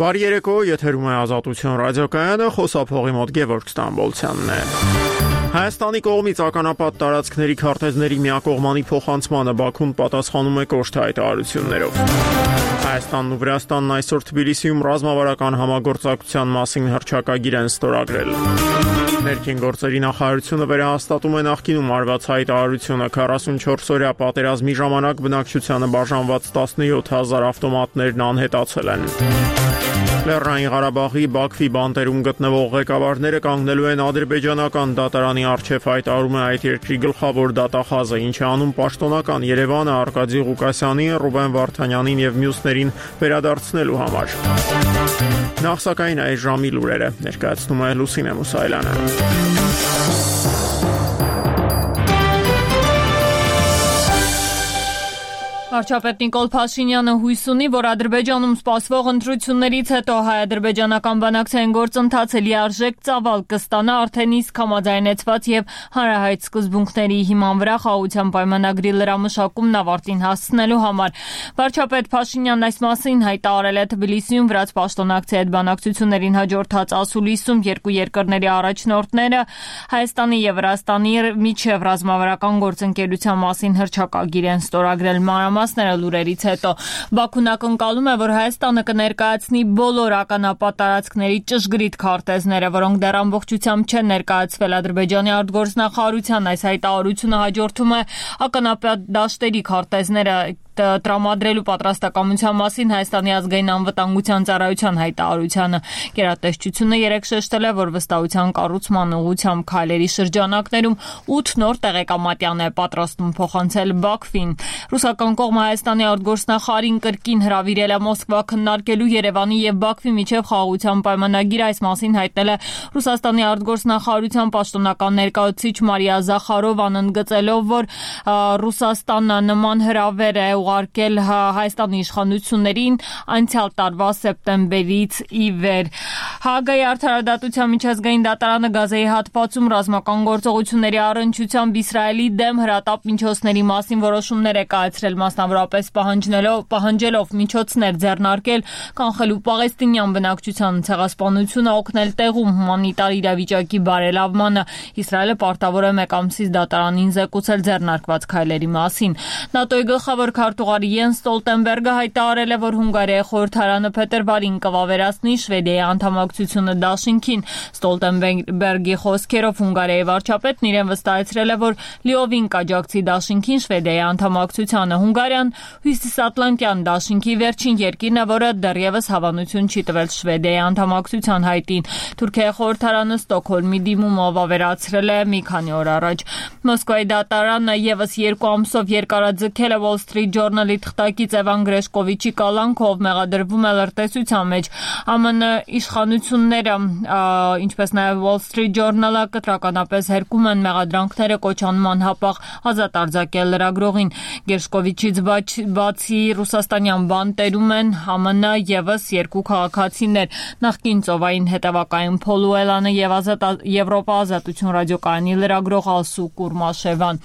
Բարի երեկո, եթերում է Ազատություն ռադիոկայանը, խոսափողի մոտ Գևորգ Ստամբոլցյանն է։ Հայաստանի կողմից ականապատ տարածքների քարտեզների միակողմանի փոխանցմանը Բաքուն պատասխանում է կոշտ հայտարարություններով։ Հայաստանն ու Վրաստանն այսօր Թբիլիսիում ռազմավարական համագործակցության մասին հռչակագիր են ստորագրել։ Ներքին գործերի նախարարությունը վերահաստատում է նախկինում արված հայտարարությունը 44-օրյա պատերազմի ժամանակ բնակչությանը բաժանված 17,000 ավտոմատներն անհետացել են։ Լեռնային Ղարաբաղի Բաքվի բանտերում գտնվող ղեկավարները կանգնելու են ադրբեջանական դատարանի առջև, հայտարարում է այդ երկրի գլխավոր դատախազը, ինչը անում պաշտոնական Երևանը Արկադի Ղուկասյանին, Ռուբեն Վարդանյանին եւ մյուսներին վերադարձնելու համար։ Նախ սակայն այս ժամի լուրերը ներկայացնում է Լուսինե Մուսայելյանը։ Վարչապետ Նիկոլ Փաշինյանը հույս ունի, որ Ադրբեջանում սպասվող ընտրություններից հետո հայ-ադրբեջանական բանակցային գործընթացը լիարժեք ծավալ կստանա արդեն իսկ համաձայնեցված եւ հանրահայտ սկզբունքների հիման վրա խաղաղության պայմանագրի լրամշակումն ավարտին հասցնելու համար։ Վարչապետ Փաշինյանն այս մասին հայտարարել է Թբիլիսիում վրաց պաշտոնակցի հետ բանակցություններին հաջորդած ասուլիսում երկու երկրների առաջնորդները Հայաստանի եւ Վրաստանի միջև ռազմավարական գործընկերության մասին հռչակագիր են ստորագրել։ Լուրերից հետո Բաքուն ակնկալում է, որ Հայաստանը կներկայացնի բոլոր ականապատ տարածքների ճշգրիտ քարտեզները, որոնք դեռ ամբողջությամբ չեն ներկայացվել Ադրբեջանի արտգործնախարարության։ Այս հայտարարությունը հաջորդում է ականապատ դաշտերի քարտեզները տրամադրելու պատրաստակամության մասին Հայաստանի ազգային անվտանգության ծառայության հայտարարությանը։ Գերատեսչությունը երեկ շեշտել է, որ վստահության կառուցման ուղղությամբ քայլերի շրջանակներում 8 նոր տեղեկամատյան է պատրաստում փոխանցել Բաքվին։ Ռուսական կողմը Հայաստանի արտգործնախարարին կրկին հրավիրել է Մոսկվա քննարկելու Երևանի եւ Բաքվի միջև խաղաղության պայմանագիր։ Այս մասին հայտնել է Ռուսաստանի արտգործնախարարության պաշտոնական ներկայացուցիչ Մարիա Զախարովան, ընդգծելով, որ Ռուսաստանը նման հրավեր է ուղարկել Հայաստանի իշխանություններին անցյալ տարվա սեպտեմբերից ի վեր։ Հաագայի արդարադատության միջազգային դատարանը Գազայի հատվածում ռազմական գործողությունների առնչությամբ Իսրայելի դեմ հրատապ միջոցների մասին որոշումներ է կայացրել, մասնավորապես պահանջելով միջոցներ ձեռնարկել կանխելու պաղեստինյան բնակչության ցեղասպանությունը, օգնել տեղում հումանիտար իրավիճակի բարելավմանը։ Իսրայելը պարտավոր է մեկ ամսից դատարանին զեկուցել ձեռնարկված քայլերի մասին։ ՆԱՏՕ-ի գլխավոր քարտուղար Յենս Ստոլտենբերգը հայտարարել է, որ Հունգարիայի խորհրդարանը փետրվարին կվավերացնի Շվեդիայի անդամակցությունը դաշինքին։ Ստոլտենբերգի խոսքերով Հունգարիայի վարչապետն իրեն վստահեցրել է, որ լիովին կաջակցի դաշինքին Շվեդիայի անդամակցությանը։ Հունգարիան Հյուսիսատլանտյան դաշինքի վերջին երկիրն է, որը դեռևս հավանություն չի տվել Շվեդիայի անդամակցության հայտին։ Թուրքիայի խորհրդարանը Ստոկհոլմի դիմումը վավերացրել է մի քանի օր առաջ։ Մոսկվայի դատարանը եւս 2 ամսով երկարաձգել է Wall Street Journal-ի թղթակից Էվան Գրեշկովիչի կալանքով, մեղադրվում է լրտեսության մեջ։ ԱՄՆ իշխանությունները, ինչպես նաև Wall Street Journal-ը կտրականապես հերկում են մեղադրանքները կոչանում անհապաղ ազատ արձակել լրագրողին։ Գրեշկովիչից բացի ռուսաստանյան բանտերում են ԱՄՆ եւս 2 քաղաքացիներ՝ նախկին ծովային հետևակային Փոլուելանը եւ Եվրոպա ազատություն ռադիոկայանի լրագրող Ալսու Կուրմաշևան։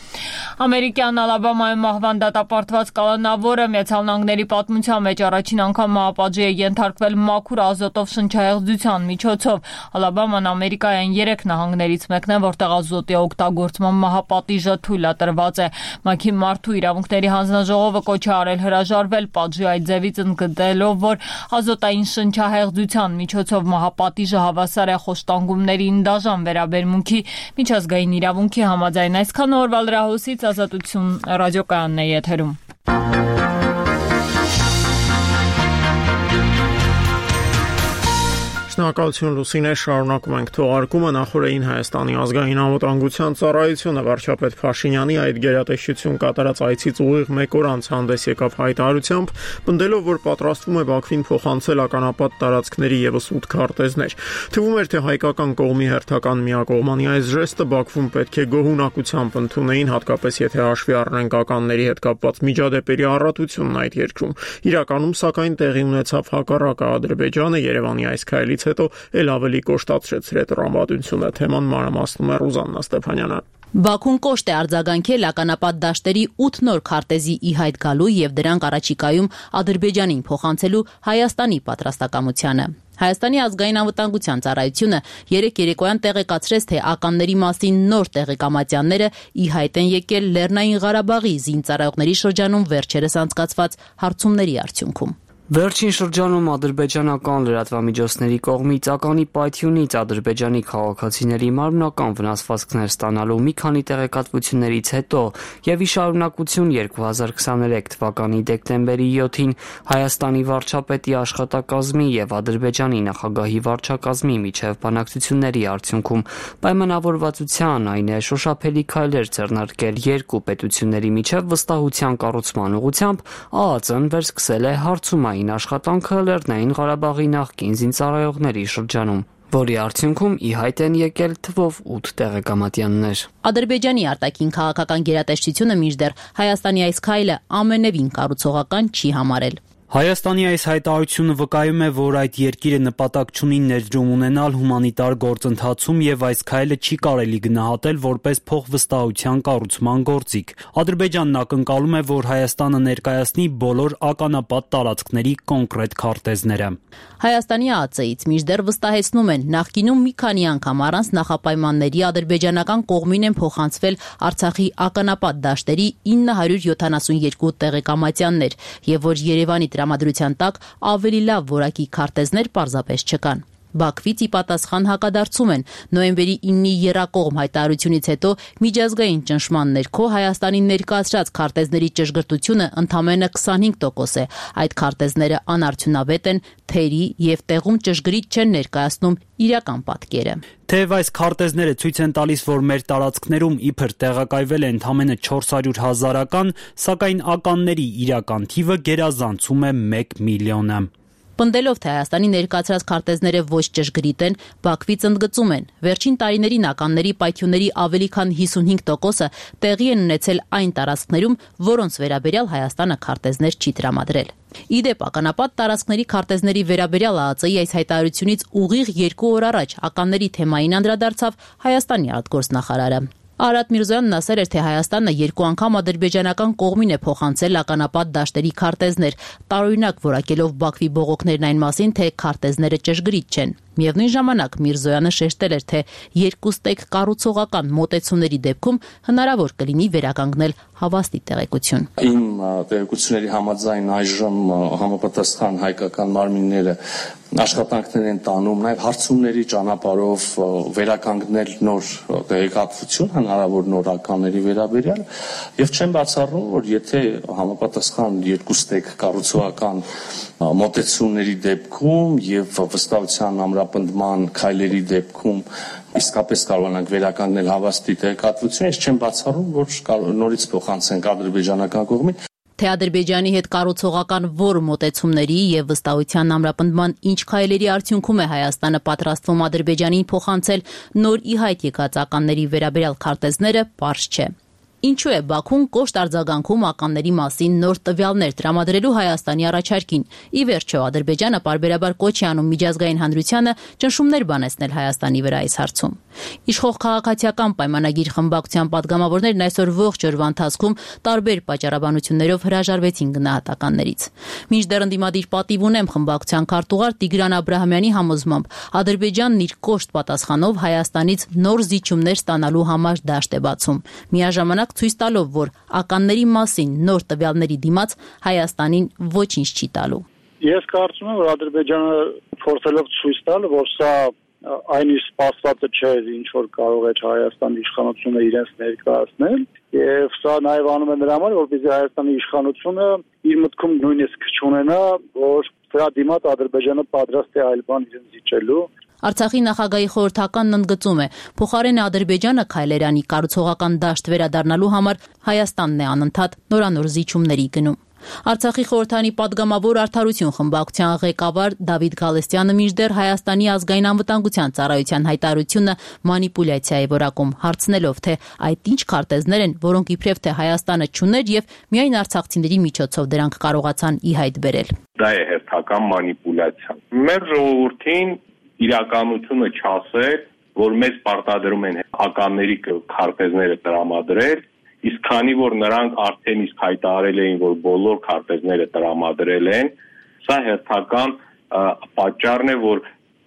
Ամերիկյան Ալաբամայում մահվան դատապարտված կալանավորը Միացյալ Նահանգների պատմության մեջ առաջին անգամ մահապատժի է ենթարկվել մաքուր ազոտով շնչահեղձության միջոցով։ Ալաբաման Ամերիկայի 3 նահանգներից մեկն է, որտեղ ազոտի օգտագործման մահապատիժը թույլատրված է։ ՄԱԿ-ի մարդու իրավունքների հանձնաժողովը կոչ է արել հրաժարվել պատժի այդ ձևից, ընդգծելով, որ ազոտային շնչահեղձության միջոցով մահապատիժը հավասար է խոշտանգումներին դաժան վերաբերմունքի միջազգային իրավունքի համաձայն։ Այսքան օրվա լրահոսից Ազատություն ռադիոկայանն է եթերում։ Շնորհակալություն Լուսինե, շարունակում ենք թողարկումը։ Նախորդին Հայաստանի ազգային անվտանգության ծառայությունը վարչապետ Փաշինյանի այդ գերատեսչություն կատարած այցից ուղիղ 1 օր անց հանդես եկավ հայտարարությամբ, պնդելով, որ պատրաստվում է Բաքվին փոխանցել ականապատ տարածքների եւս 8 քարտեզներ։ Թվում էր, թե հայկական կողմի հերթական միակողմանի այս ժեստը Բաքվում պետք է գոհունակությամբ ընդունեին, հատկապես եթե հաշվի առնենք ականների հետ կապված միջադեպերի առատությունն այդ երկրում։ Իրականում, սակայն, տեղի ունեցավ հակառակը։ Ադրբեջանը Երևանի այս քայլից հետո էլ ավելի կոշտացրեց իր տրամադրությունը։ Թեման մանրամասնում է Ռուզաննա Ստեփանյանը։ Բաքուն կոշտ է արձագանքել ականապատ դաշտերի 8 նոր քարտեզի ի հայտ գալու եւ դրանք առաջիկայում Ադրբեջանին փոխանցելու Հայաստանի պատրաստակամությանը։ Հայաստանի ազգային անվտանգության ծառայությունը երեկ երեկոյան տեղեկացրեց, թե ականների մասին նոր տեղեկամատյանները ի հայտ են եկել Լեռնային Ղարաբաղի զինծառայողների շրջանում վերջերս անցկացված հարցումների արդյունքում։ Վերջին շրջանում ադրբեջանական լրատվամիջոցների կողմից ականի պայթյունից ադրբեջանի քաղաքացիների մարմնական վնասվածքներ ստանալու մի քանի տեղեկատվություններից հետո եւ ի շարունակություն 2023 թվականի դեկտեմբերի 7-ին Հայաստանի վարչապետի աշխատակազմի եւ Ադրբեջանի նախագահի վարչակազմի միջև բանակցությունների արդյունքում պայմանավորվածության, այն է շոշափելի քայլեր ձեռնարկել երկու պետությունների միջև վստահության կառուցման ուղղությամբ, ԱԱԾ-ն վերսկսել է հարցումային աշխատանքը Լեռնային Ղարաբաղի նախկին զինծառայողների շրջանում, որի արդյունքում ի հայտ են եկել թվով 8 տեղեկամատյաններ։ Ադրբեջանի արտաքին քաղաքական գերատեսչությունը մինչդեռ Հայաստանի այս քայլը ամենևին կառուցողական չի համարել։ Հայաստանի այս հայտարարությունը վկայում է, որ այդ երկիրը նպատակ չունի ներդրում ունենալ հումանիտար գործընթացում եւ այս քայլը չի կարելի գնահատել որպես փոխվստահության կառուցման գործիք։ Ադրբեջանն ակնկալում է, որ Հայաստանը ներկայացնի բոլոր ականապատ տարածքների կոնկրետ քարտեզները։ Հայաստանի ԱԱԾ-ից մինչդեռ վստահեցնում են, նախկինում մի քանի անգամ առանց նախապայմանների ադրբեջանական կողմին են փոխանցվել Արցախի ականապատ դաշտերի 972 տեղեկամատյաններ, եւ որ Երևանի տրամադրության տակ ավելի լավ որակի քարտեզներ պարզապես չկան։ Բաքվից ի պատասխան հակադարձում են նոյեմբերի 9-ի եռակողմ հայտարարությունից հետո միջազգային ճնշման ներքո Հայաստանի ներկայացրած քարտեզների ճշգրտությունը ընդամենը 25% է։ Այդ քարտեզները անարդյունավետ են, թերի եւ տեղում ճշգրիտ չեն ներկայացնում իրական պատկերը։ Թեև այս քարտեզները ցույց են տալիս, որ մեր տարածքներում իբր տեղակայվել է ընդամենը 400 000 սակայն ականների իրական թիվը գերազանցում է 1 միլիոնը։ Պնդելով, թե Հայաստանի ներկայացրած քարտեզները ոչ ճշգրիտ են, Բաքվից ընդգծում են, վերջին տարիներին ականների պայթյունների ավելի քան 55%-ը տեղի են ունեցել այն տարածքներում, որոնց վերաբերյալ Հայաստանը քարտեզներ չի տրամադրել։ Իդեպ ականապատ տարածքների քարտեզների վերաբերյալ ԱԱԾ-ի այս հայտարարությունից ուղիղ 2 օր առաջ ականների թեմային անդրադարձավ Հայաստանի արտգործնախարարը։ Արադ Միրզոյանն ասել էր, թե Հայաստանը 2 անգամ ադրբեջանական կողմին է փոխանցել ականապատ դաշտերի քարտեզներ, տարօրինակ որակելով Բաքվի բողոքներն այն մասին, թե քարտեզները ճշգրիտ չեն։ Միևնույն ժամանակ Միրզոյանը շեշտել էր, թե երկուստեք կառուցողական մոտեցումների դեպքում հնարավոր կլինի վերականգնել հավաստի տեղեկություն։ Իմ տեղեկությունների համաձայն այժմ համապատասխան հայկական մարմինները աշխատանքներ են տանում նաև հարցումների ճանապարհով վերականգնել նոր տեղեկատվություն հնարավոր նոր ականների վերաբերյալ եւ չեմ բացառում, որ եթե համապատասխան երկուստեք կառուցողական մոտեցումների դեպքում եւ վստահության ամրապնդման քայլերի դեպքում իսկապես կարողանանք վերականգնել հավաստի տեղեկատվությունը, ես չեմ բացառում, որ նորից փոխանցենք ադրբեջանական կողմին։ Թե Ադրբեջանի հետ կառուցողական որ մոտեցումների եւ վստահության ամրապնդման ինչ քայլերի արդյունքում է Հայաստանը պատրաստվում Ադրբեջանին փոխանցել նոր ի հայտ եկած ականների վերաբերյալ քարտեզները, պարզ չէ։ Ինչու է Բաքուն կոշտ արձագանքում ականների մասին նոր տվյալներ տրամադրելու Հայաստանի առաջարկին։ Ի վերջո Ադրբեջանը պարբերաբար կոչ է անում միջազգային հանրությանը ճնշումներ բանեցնել Հայաստանի վրա այս հարցում։ Իշխող քաղաքացիական պայմանագիր խմբակցության падգամավորներն այսօր ողջ օրվա ընթացքում տարբեր պատճառաբանություններով հրաժարվեցին գնահատականներից։ Մինչդեռ ընդդիմադիր պատիվ ունեմ խմբակցության քարտուղար Տիգրան Աբրահամյանի համոզմամբ Ադրբեջանն իր կոշտ պատասխանով Հայաստանից նոր զիջումներ ստանալու համար դաշտ է բացում։ Միաժամանակ ցույց տալով, որ ականների մասին նոր տվյալների դիմաց Հայաստանին ոչինչ չի տալու։ Ես կարծում եմ, որ Ադրբեջանը փորձելով ցույց տալ, որ սա այն իր սպասվածը չէ, ինչ որ կարող է Հայաստանի իշխանությունը իրենց ներկայացնել, եւ սա նաեւ անում է նրա համար, որպեսզի Հայաստանի իշխանությունը իր մտքում նույնիսկ չունենա, որ դրա դիմաց Ադրբեջանը պատրաստ է այլ բան իրեն զիջելու։ Արցախի նախագահի խորհրդականն ընդգծում է, փոխարենը Ադրբեջանը քայլեր անի կառուցողական դաշտ վերադառնալու համար Հայաստանն է անընդհատ նորանոր զիջումների գնում։ Արցախի խորհրդանի падգամավոր Արդարություն խմբակցության ղեկավար Դավիթ Գալստյանը մինչդեռ Հայաստանի ազգային անվտանգության ծառայության հայտարարությունը մանիպուլյացիա է որակում, հարցնելով, թե այդ ինչ քարտեզներ են, որոնք իբրև թե Հայաստանը չուներ եւ միայն արցախցիների միջոցով դրանք կարողացան ի հայտ բերել։ Դա է հերթական մանիպուլյացիա։ Մեր ժողովրդին իրականությունը չասել, որ մեզ պարտադրում են ականների քարտեզները տրամադրել, իսկ քանի որ նրանք արդեն իսկ հայտարարել էին, որ բոլոր քարտեզները տրամադրել են, սա հերթական պատճառն է, որ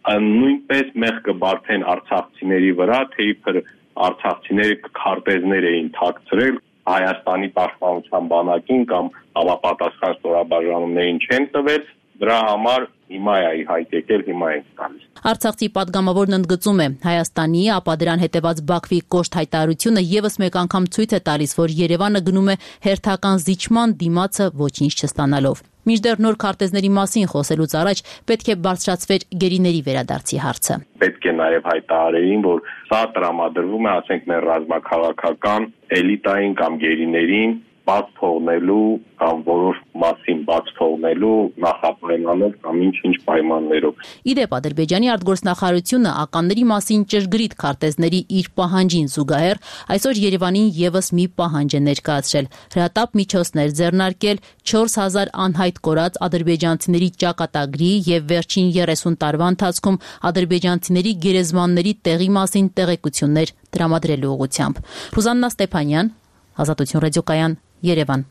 նույնպես մեղք կբարձեն արցախցիների վրա, թե իբր արցախցիները քարտեզներ էին թաքցրել Հայաստանի պաշտպանության բանակին կամ համապատասխան ստորաբաժանումներին չեն տվել, դրա համար հիմա է հայտ եկել, հիմա ենք տալիս։ Արցախցի պատգամավորն ընդգծում է, Հայաստանի, ապա դրան հետևած Բաքվի կոշտ հայտարարությունը եւս մեկ անգամ ցույց է տալիս, որ Երևանը գնում է հերթական զիջման դիմացը ոչինչ չստանալով։ Մինչդեռ նոր քարտեզների մասին խոսելուց առաջ պետք է բարձրացվեր գերիների վերադարձի հարցը։ Պետք է նաև հայտարարեին, որ սա տրամադրվում է, ասենք, մեր ռազմաքաղաքական էլիտային կամ գերիներին բաց թողնելու կամ որոշ մասին բաց թողնելու նախապայմանով կամ ինչ-ինչ պայմաններով։ Իդեպ Ադրբեջանի արտգործնախարարությունը ականների մասին ճշգրիտ քարտեզների իր պահանջին զուգահեռ այսօր Երևանին եւս մի պահանջ է ներկայացրել՝ հրատապ միջոցներ ձեռնարկել 4000 անհայտ կորած ադրբեջանցիների ճակատագրի եւ վերջին 30 տարվա ընթացքում ադրբեջանցիների գերեզմանների տեղի մասին տեղեկություններ տրամադրելու ուղղությամբ։ Ռուզաննա Ստեփանյան, Ազատություն ռադիոկայան, Երևան։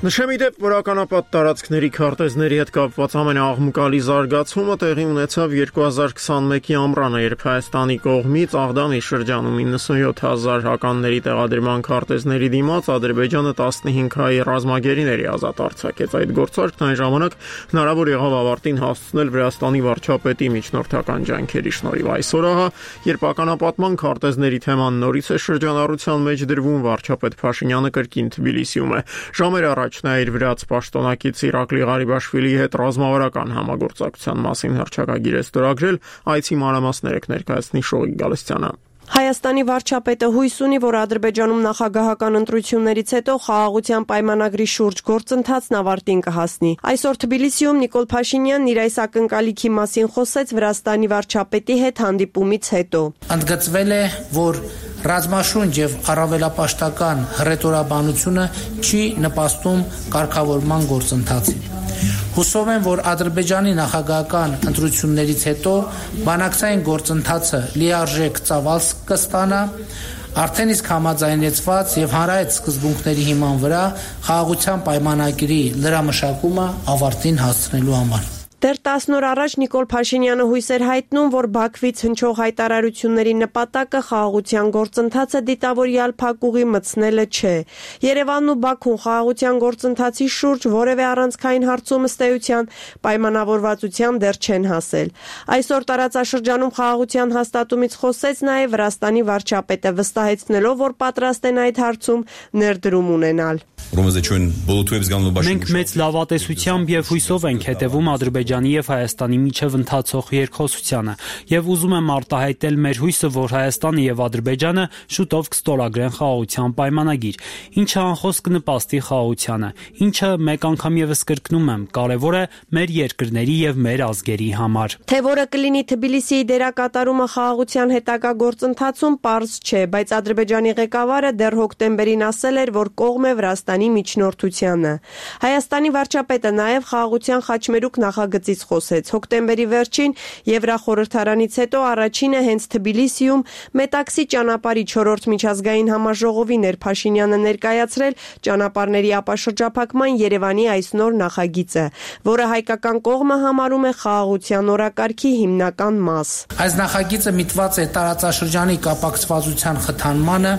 Նշեմ իդեպ, որ ականապատ տարածքների քարտեզների հետ կապված ամենաաղմկալի զարգացումը տեղի ունեցավ 2021-ի ամռանը, երբ Հայաստանի կողմից Աղդամի շրջանում 97000 հականների տեղադրման քարտեզների դիմաց Ադրբեջանը 15 հայ ռազմագերիների ազատ արձակեց։ Այդ գործարքն այն ժամանակ հնարավոր եղավ ավարտին հասցնել Վրաստանի վարչապետի միջնորդական ջանքերի շնորհիվ։ Այսօր ահա, երբ ականապատման քարտեզների թեման նորից է շրջանառության մեջ դրվում, վարչապետ Փաշինյանը կրկին Թբիլիսիում է։ Ժամեր առաջ նա իր վրաց պաշտոնակից Իրակլի Ղարիբաշվիլիի հետ ռազմավարական համագործակցության մասին հռչակագիր է ստորագրել, այցի մանրամասները կներկայացնի Շողիկ Գալստյանը։ Հայաստանի վարչապետը հույս ունի, որ Ադրբեջանում նախագահական ընտրություններից հետո խաղաղության պայմանագրի շուրջ գործընթացն ավարտին կհասնի։ Այսօր Թբիլիսիում Նիկոլ Փաշինյանն իր այս ակնկալիքի մասին խոսեց Վրաստանի վարչապետի հետ հանդիպումից հետո։ Ընդգծվել է, որ ռազմաշունչ եւ առավելապաշտական հռետորաբանությունը չի նպաստում կարգավորման գործընթացին։ Հուսով եմ, որ Ադրբեջանի նախագահական ընտրություններից հետո բանակցային գործընթացը լիարժեք ծավալ կստանա, արդեն իսկ համաձայնեցված եւ հանրայց սկզբունքների հիման վրա խաղաղության պայմանագրի լրամշակումը ավարտին հասցնելու համար։ Դեռ 10 օր առաջ Նիկոլ Փաշինյանը հույս էր հայտնում, որ Բաքվից հնչող հայտարարությունների նպատակը խաղաղության գործընթացը դիտավորյալ փակուղի մտցնելը չէ։ Երևանն ու Բաքուն խաղաղության գործընթացի շուրջ որևէ առանցքային հարցում ըստ էության պայմանավորվածության դեռ չեն հասել։ Այսօր տարածաշրջանում խաղաղության հաստատումից խոսեց նաև Վրաստանի վարչապետը, վստահեցնելով, որ պատրաստ են այդ հարցում ներդրում ունենալ։ Մենք մեծ լավատեսությամբ եւ հույսով ենք հետևում Ադրբեջանի եւ Հայաստանի միջև ընթացող երկխոսությանը եւ ուզում եմ արտահայտել մեր հույսը, որ Հայաստանը եւ Ադրբեջանը շուտով կստորագրեն խաղաղության պայմանագիր, ինչը անխոս կնպաստի խաղաղությանը, ինչը մեկ անգամ եւս կրկնում եմ, կարեւոր է մեր երկրների եւ մեր ազգերի համար։ Թե որը կլինի Թբիլիսիի դերակատարումը խաղաղության հետագա գործընթացում պարզ չէ, բայց Ադրբեջանի ղեկավարը դեռ հոկտեմբերին ասել էր, որ կողմ է Վրաստանի միջնորդությանը։ Հայաստանի վարչապետը նաև խաղաղության խաչմերուկ նախագծից խոսեց։ Հոկտեմբերի վերջին Եվրախորհրդարանից հետո առաջինը հենց Թբիլիսիում Մետաքսի ճանապարհի 4-րդ միջազգային համաժողովին էր Փաշինյանը ներկայացրել ճանապարհների ապաշրջափակման Երևանի այս նոր նախագիծը, որը հայկական կողմը համարում է խաղաղության օրակարգի հիմնական մաս։ Այս նախագիծը միտված է տարածաշրջանի կապակցվածության խթանմանը,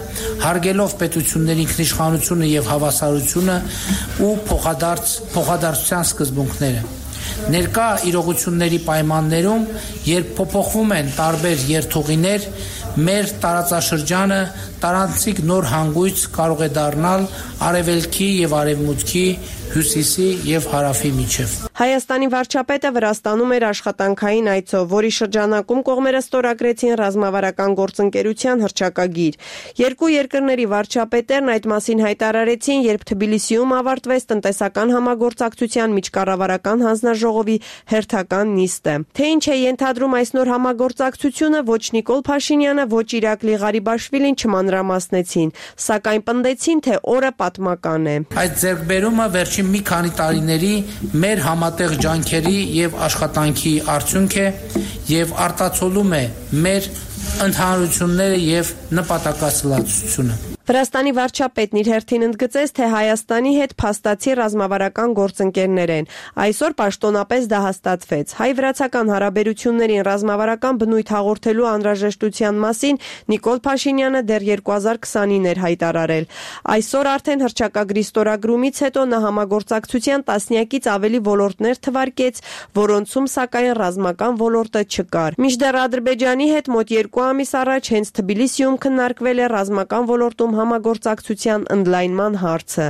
հարգելով պետությունների ինքնիշխանությունը եւ հավասարությունը ու փոխադարձության սկզբունքները։ Ներկա իրողությունների պայմաններում, երբ փոփոխվում են տարբեր երթուղիներ, մեր տարածաշրջանը տարանցիկ նոր հանգույց կարող է դառնալ արևելքի եւ արևմուտքի, հյուսիսի եւ հարավի միջև։ Հայաստանի վարչապետը Վրաստանում էր աշխատանքային այցով, որի շրջանակում կողմերը ստորագրեցին ռազմավարական գործընկերության հռչակագիր։ Երկու երկրների վարչապետերն այդ մասին հայտարարեցին, երբ Թբիլիսիում ավարտվեց տնտեսական համագործակցության միջկառավարական հանձնաժողովի հերթական նիստը։ Թե ինչ է ենթադրում այս նոր համագործակցությունը, ոչ Նիկոլ Փաշինյանը, ոչ Իրակլի Ղարիբաշվիլին չմանրացրել մանրամասնեցին, սակայն պնդեցին, թե օրը պատմական է։ Այդ ձեռքբերումը վերջին մի քանի տարիների մեր համատեղ ջանքերի եւ աշխատանքի արդյունք է եւ արտացոլում է մեր ընդհանրությունները եւ նպատակասլացությունը։ Վրաստանի վարչապետն իր հերթին ընդգծեց, թե Հայաստանի հետ փաստացի ռազմավարական գործընկերներ են։ Այսօր պաշտոնապես դա հաստատվեց։ Հայ-վրացական հարաբերություններին ռազմավարական բնույթ հաղորդելու անհրաժեշտության մասին Նիկոլ Փաշինյանը դեռ 2029 էր հայտարարել։ Այսօր արդեն հռչակագրի ստորագրումից հետո նա համագործակցության տասնյակից ավելի ոլորտներ թվարկեց, որոնցում սակայն ռազմական ոլորտը չկար։ Մինչդեռ Ադրբեջանի հետ մոտ 2 ամիս առաջ հենց Թբիլիսիում քննարկվել է ռազմական ոլորտում համագործակցության ընդլայնման հարցը։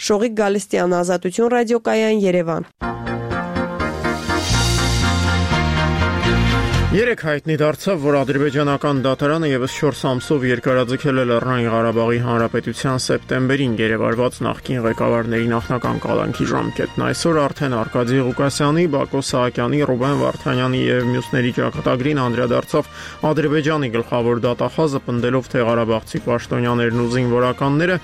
Շողիկ Գալստյան, Ազատություն ռադիոկայան, Երևան։ Երեք հայտնի դարձավ, որ ադրբեջանական դատարանը եւս 4 ամսով երկարաձգել է Լեռնային Ղարաբաղի Հանրապետության սեպտեմբերին գերեվարված նախկին ղեկավարների նախնական կալանքի ժամկետն։ Այսօր արդեն Արկադի Ղուկասյանի, Բակո Սահակյանի, Ռուբեն Վարդանյանի եւ մյուսների ճակատագրին անդրադարձավ Ադրբեջանի գլխավոր դատախազը, պնդելով, թե ղարաբաղցի պաշտոնյաներն ու զինվորականները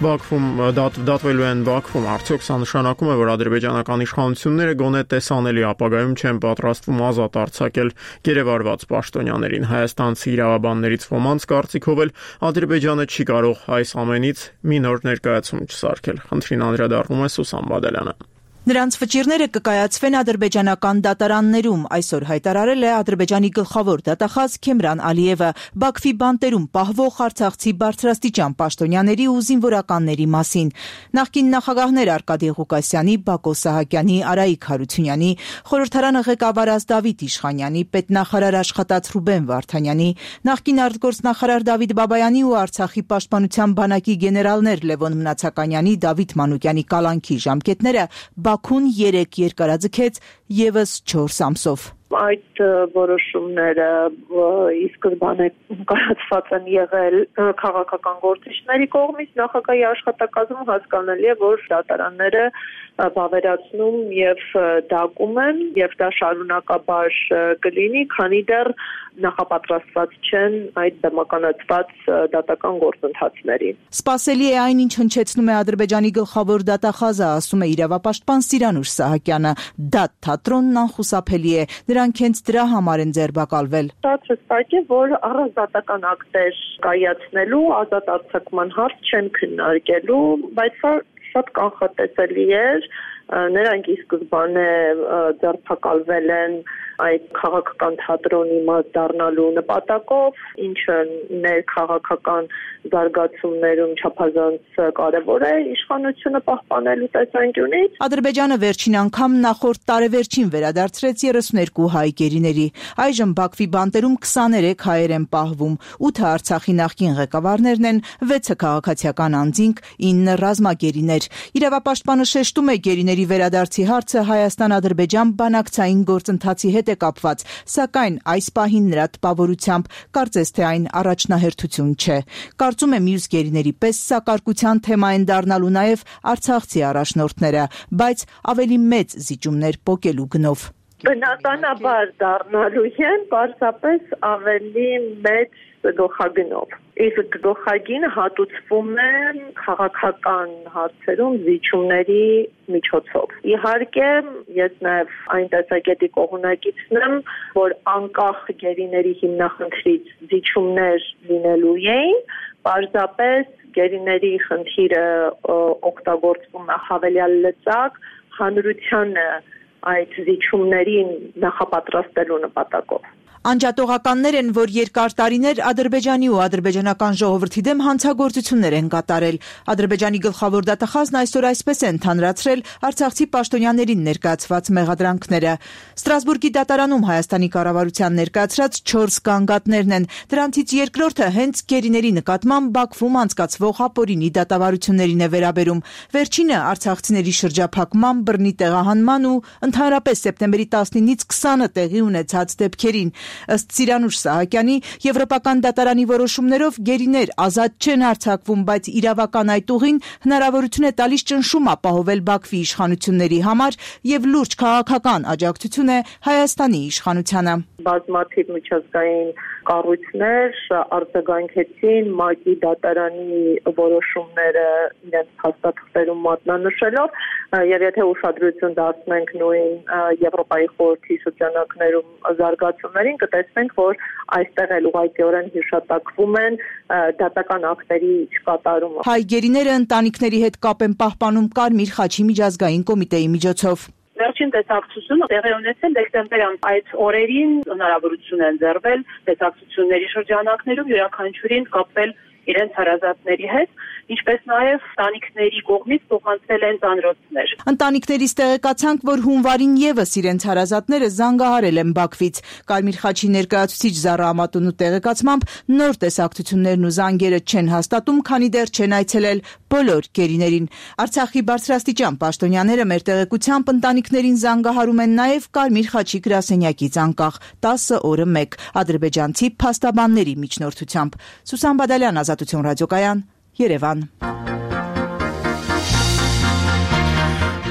Բաքվում դատվելու են Բաքվում։ Արդյոք սա նշանակում է, որ ադրբեջանական իշխանությունները գոնե տեսանելի ապագայում չեն պատրաստվում ազատ արձակել գերեվարված պաշտոնյաներին։ Հայաստանցի իրավաբաններից ոմանց կարծիքով էլ Ադրբեջանը չի կարող այս ամենից մի նոր ներկայացում չսարքել։ Խնդրին անդրադառնում է Սուսան Բադալյանը։ Նրանց վճիռները կկայացվեն ադրբեջանական դատարաններում, այսօր հայտարարել է Ադրբեջանի գլխավոր դատախազ Քեմրան Ալիևը Բաքվի բանտերում պահվող արցախցի բարձրաստիճան պաշտոնյաների ու զինվորականների մասին։ Նախկին նախագահներ Արկադի Ղուկասյանի, Բակո Սահակյանի, Արայիկ Հարությունյանի, խորհրդարանը ղեկավարած Դավիթ Իշխանյանի, պետնախարար աշխատած Ռուբեն Վարդանյանի, նախկին արտգործնախարար Դավիթ Բաբայանի ու Արցախի պաշտպանության բանակի գեներալներ Լևոն Մնացականյանի, Դավիթ Մանուկյանի կալանքի ժամկետները Բաքուն 3 երկարաձգեց եւս 4 ամսով։ Այդ որոշումները ի սկզբանե կայացված են եղել քաղաքական գործիչների կողմից, նախագահի աշխատակազմում հասկանալի է, որ դատարանները բավերացնում եւ դակում են եւ դա շարունակաբար կլինի, քանի դեռ նախապատրաստված չեն այդ դեմականացված դատական գործընթացներին։ Սպասելի է այն, ինչ հնչեցնում է Ադրբեջանի գլխավոր դատախազը, ասում է իրավապաշտպան Սիրանուշ Սահակյանը։ Դատ թատրոնն անխուսափելի է, դրանք հենց դրա համար են ձերբակալվել։ Շատ հստակ է, որ առանց դատական ակտեր կայացնելու ազատ արձակման հարց չեն քննարկելու, բայց սա շատ կանխատեսելի էր, նրանք ի սկզբանե ձերբակալվել են այդ քաղաքական թատրոնի մաս դառնալու նպատակով, ինչը ներքաղաքական զարգացումներում չափազանց կարևոր է իշխանությունը պահպանելու տեսանկյունից։ Ադրբեջանը վերջին անգամ նախորդ տարեվերջին վերադարձրեց 32 հայ գերիների։ Այժմ Բաքվի բանտերում 23 հայեր են պահվում, 8-ը Արցախի նախկին ղեկավարներն են, 6-ը քաղաքացիական անձինք, 9 ռազմագերիներ։ Իրավապաշտպանը շեշտում է գերիների վերադարձի հարցը Հայաստան-Ադրբեջան բանակցային գործընթացի հետ է կապված, սակայն այս պահին նրա տպավորությամբ կարծես թե այն առաջնահերթություն չէ։ Կարծում է մյուս գերիների պես սա կարգության թեմա են դառնալու նաև արցախցի առաջնորդները, բայց ավելի մեծ զիջումներ պոկելու գնով։ Բնականաբար դառնալու են պարզապես ավելի մեծ գլխագնով։ Իսկ գլխագինը հատուցվում է քաղաքական հարցերում զիջումների միջոցով։ Իհարկե, ես նաև այն տեսակետի կողմնակիցն եմ, որ անկախ գերիների հիմնախնդրից զիջումներ լինելու էին, պարզապես գերիների խնդիրը օգտագործվում է հավելյալ լծակ հանրությանը այդ զիջումներին նախապատրաստելու նպատակով։ Անջատողականներ են, որ երկար տարիներ Ադրբեջանի ու ադրբեջանական ժողովրդի դեմ հանցագործություններ են կատարել։ Ադրբեջանի գլխավոր դատախազն այսօր այսպես է ընդհանրացրել արցախցի պաշտոնյաներին ներկայացված մեղադրանքները։ Ստրասբուրգի դատարանում Հայաստանի կառավարության ներկայացրած 4 գանգատներն են։ Դրանցից երկրորդը հենց գերիների նկատմամբ Բաքվում անցկացվող ապօրինի դատավարություններին է վերաբերում։ Վերջինը արցախցիների շրջափակման, բռնի տեղահանման ու ընդհանրապես սեպտեմբերի 19-ից 20-ը տեղի ունեցած դեպքերին։ Ըստ Սիրանուշ Սահակյանի, Եվրոպական դատարանի որոշումներով գերիներ ազատ չեն արձակվում, բայց իրավական այդ ուղին հնարավորություն է տալիս ճնշում ապահովել Բաքվի իշխանությունների համար եւ լուրջ քաղաքական աջակցություն է Հայաստանի իշխանությանը։ Բազմաթիվ միջազգային կառույցներ արձագանքեցին ՄԱԿ-ի դատարանի որոշումները իրենց փաստաթղթերում մատնանշելով, եւ եթե ուշադրություն դարձնենք նույն Եվրոպայի խորհրդի շրջանակներում զարգացումներին, կտեսնենք, որ այստեղ էլ ուղղակիորեն հիշատակվում են դատական ակտերի չկատարումը։ Հայ գերիները ընտանիքների հետ կապ են պահպանում Կարմիր խաչի միջազգային կոմիտեի միջոցով։ Վերջին տեսակցությունը տեղի ունեցել դեկտեմբերյան այդ օրերին հնարավորություն են ձեռվել տեսակցությունների շրջանակներում յուրաքանչյուրին կապվել իրենց հարազատների հետ, ինչպես նաև ընտանիքների կողմից փոխանցվել են ծանրոցներ։ Ընտանիքներից տեղեկացանք, որ հունվարին եւս իրենց հարազատները զանգահարել են Բաքվից։ Կարմիր խաչի ներկայացուցիչ Զարա Ամատունու տեղեկացմամբ նոր տեսակցություններն ու զանգերը չեն հաստատում, քանի դեռ չեն այցելել բոլոր գերիներին։ Արցախի բարձրաստիճան պաշտոնյաները մեր տեղեկությամբ ընտանիքներին զանգահարում են նաև Կարմիր խաչի գրասենյակից անկախ 10 օրը 1 ադրբեջանցի փաստաբանների միջնորդությամբ։ Սուսան Բադալյան, Ազատություն ռադիոկայան, Երևան։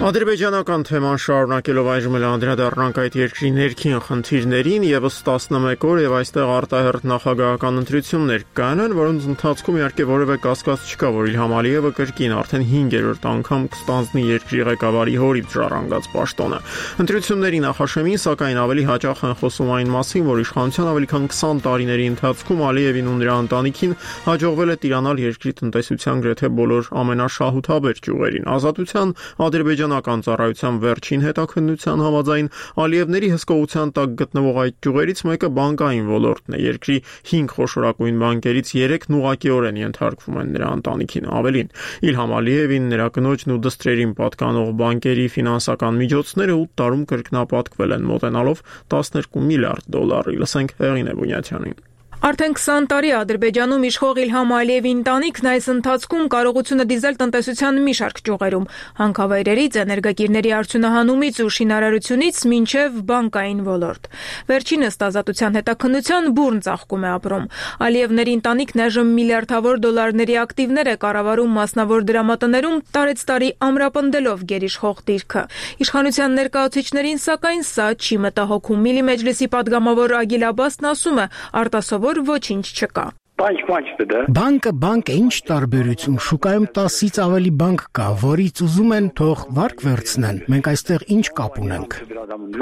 Ադրբեջանական թեման շարունակելով այժմ էլ անդրադառնանք այդ երկրի ներքին խնդիրներին, եւս 11 օր եւ այստեղ արտահերթ նախագահական ընտրություններ կանան, որոնց ընթացքում իհարկե որևէ կասկած չկա, որ Իլհամ Ալիևը կրկին արդեն 5-րդ անգամ կստանձնի երկրի ղեկավարի հորից ժառանգած պաշտոնը։ Ընտրությունների նախաշեմին, սակայն ավելի հաճախ են խոսում այն մասին, որ իշխանության ավելի քան 20 տարիների ընթացքում Ալիևին ու նրա ընտանիքին հաջողվել է տիրանալ երկրի տնտեսության գրեթե բոլոր ամենաշահութաբեր ճյուղերին։ Ազատության ադրբեջանական ծառայության վերջին հետաքննության համաձայն Ալիևների հսկողության տակ գտնվող այդ ճյուղերից մեկը բանկային ոլորտն է։ Երկրի 5 խոշորագույն բանկերից 3-ն ուղղակիորեն ենթարկվում են նրա ընտանիքին։ Ավելին, Իլհամ Ալիևին, նրա կնոջն ու դստրերին պատկանող բանկերի ֆինանսական միջոցները 8 տարում կրկնապատկվել են, մոտենալով $12 միլիարդ։ Լսենք Հեղինե Բունյաթյանին։ Արդեն 20 տարի Ադրբեջանում իշխող Իլհամ Ալիևի ընտանիքն այս ընթացքում կարողությունը դիզել տնտեսության մի շարք ճյուղերում, հանքավայրերից, էներգակիրների արդյունահանումից ու շինարարությունից մինչև բանկային ոլորտ։ Վերջինս ազատության հետաքննության բուռն ծաղկում է ապրում։ Ալիևների ընտանիքն այժմ միլիարդավոր դոլարների ակտիվներ է կառավարում մասնավոր դրամատներում, տարեցտարի ամրապնդելով գերիշխող դիրքը։ Իշխանության ներկայացուցիչներին, սակայն, սա չի մտահոգում։ Միլի մեջլիսի падգամավոր Ագիլ Աբասն ասում է, արտասովոր ոչինչ չկա։ Բանկը բանկ է, ինչ տարբերություն, շուկայում 10-ից ավելի բանկ կա, որից ուզում են թող վարկ վերցնեն, մենք այստեղ ինչ կապ ունենք։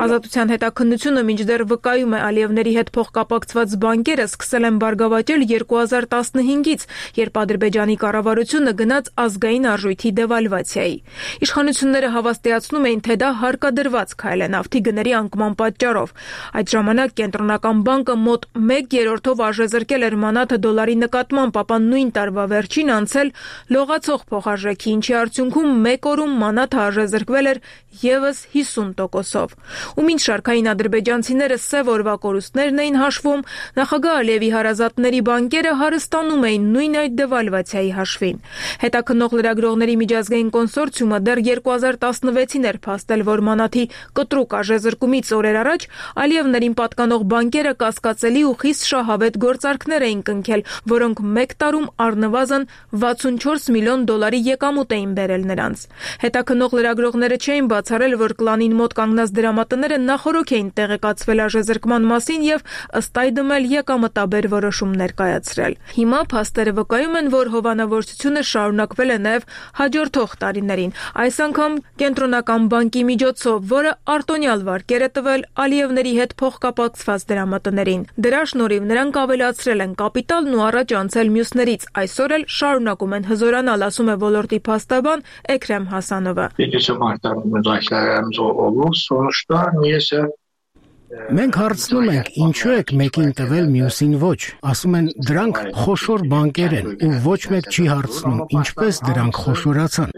Ազատության հետաքննությունը մինչդեռ վկայում է Ալիևների հետ փոխկապակցված բանկերը սկսել են բարգավաճել 2015-ից, երբ Ադրբեջանի կառավարությունը գնաց ազգային արժույթի դեվալվացիայի։ Իշխանությունները հավաստիացնում էին, թե դա հարկադրված քայլ է նավթի գների անկման պատճառով։ Այդ ժամանակ կենտրոնական բանկը մոտ 1/3-ով արժեզրկել էր մանաթը դոլարի նկատմամբ, ապա նույն տարվա վերջին անցել լողացող փոխարժեքի, ինչի արդյունքում մեկ օրում մանաթը արժեզրկվել էր եւս 50%-ով։ Ու մինչ շարքային ադրբեջանցիները սև օրվա կորուստներն էին հաշվում, նախագահ Ալիևի հարազատների բանկերը հարստանում էին նույն այդ դեվալվացիայի հաշվին։ Հետաքննող լրագրողների միջազգային կոնսորցիումը դեռ 2016-ին էր փաստել, որ մանաթի կտրուկ արժեզրկումից օրեր առաջ Ալիևներին պատկանող բանկերը կասկածելի ու խիստ շահավետ գործարքներ էին կնքել, որոնք մեկ տարում առնվազն $64 միլիոն եկամուտ էին բերել նրանց։ Հետաքննող լրագրողները չէին բացառել, որ կլանին մոտ կանգնած դրամատները նախօրոք էին տեղեկացվել արժեզրկման մասին եւ ըստ այդմ էլ եկամտաբեր որոշումներ կայացրել։ Հիմա փաստերը վկայում են, որ հովանավորչությունը շարունակվել է նաեւ հաջորդող տարիներին, այս անգամ կենտրոնական բանկի միջոցով, որը արտոնյալ վարկեր է տվել Ալիևների հետ փոխկապակցված դրամատներին։ Դրա շնորհիվ նրանք ավելացրել են կապիտալն ու առաջ անցել մյուսներից, այսօր էլ շարունակում են հզորանալ, ասում է ոլորտի փաստաբան Էքրեմ Հասանովը։ Մենք հարցնում ենք, ինչու եք մեկին տվել, մյուսին ոչ։ Ասում են, դրանք խոշոր բանկեր են, ու ոչ մեկ չի հարցնում, ինչպես դրանք խոշորացան։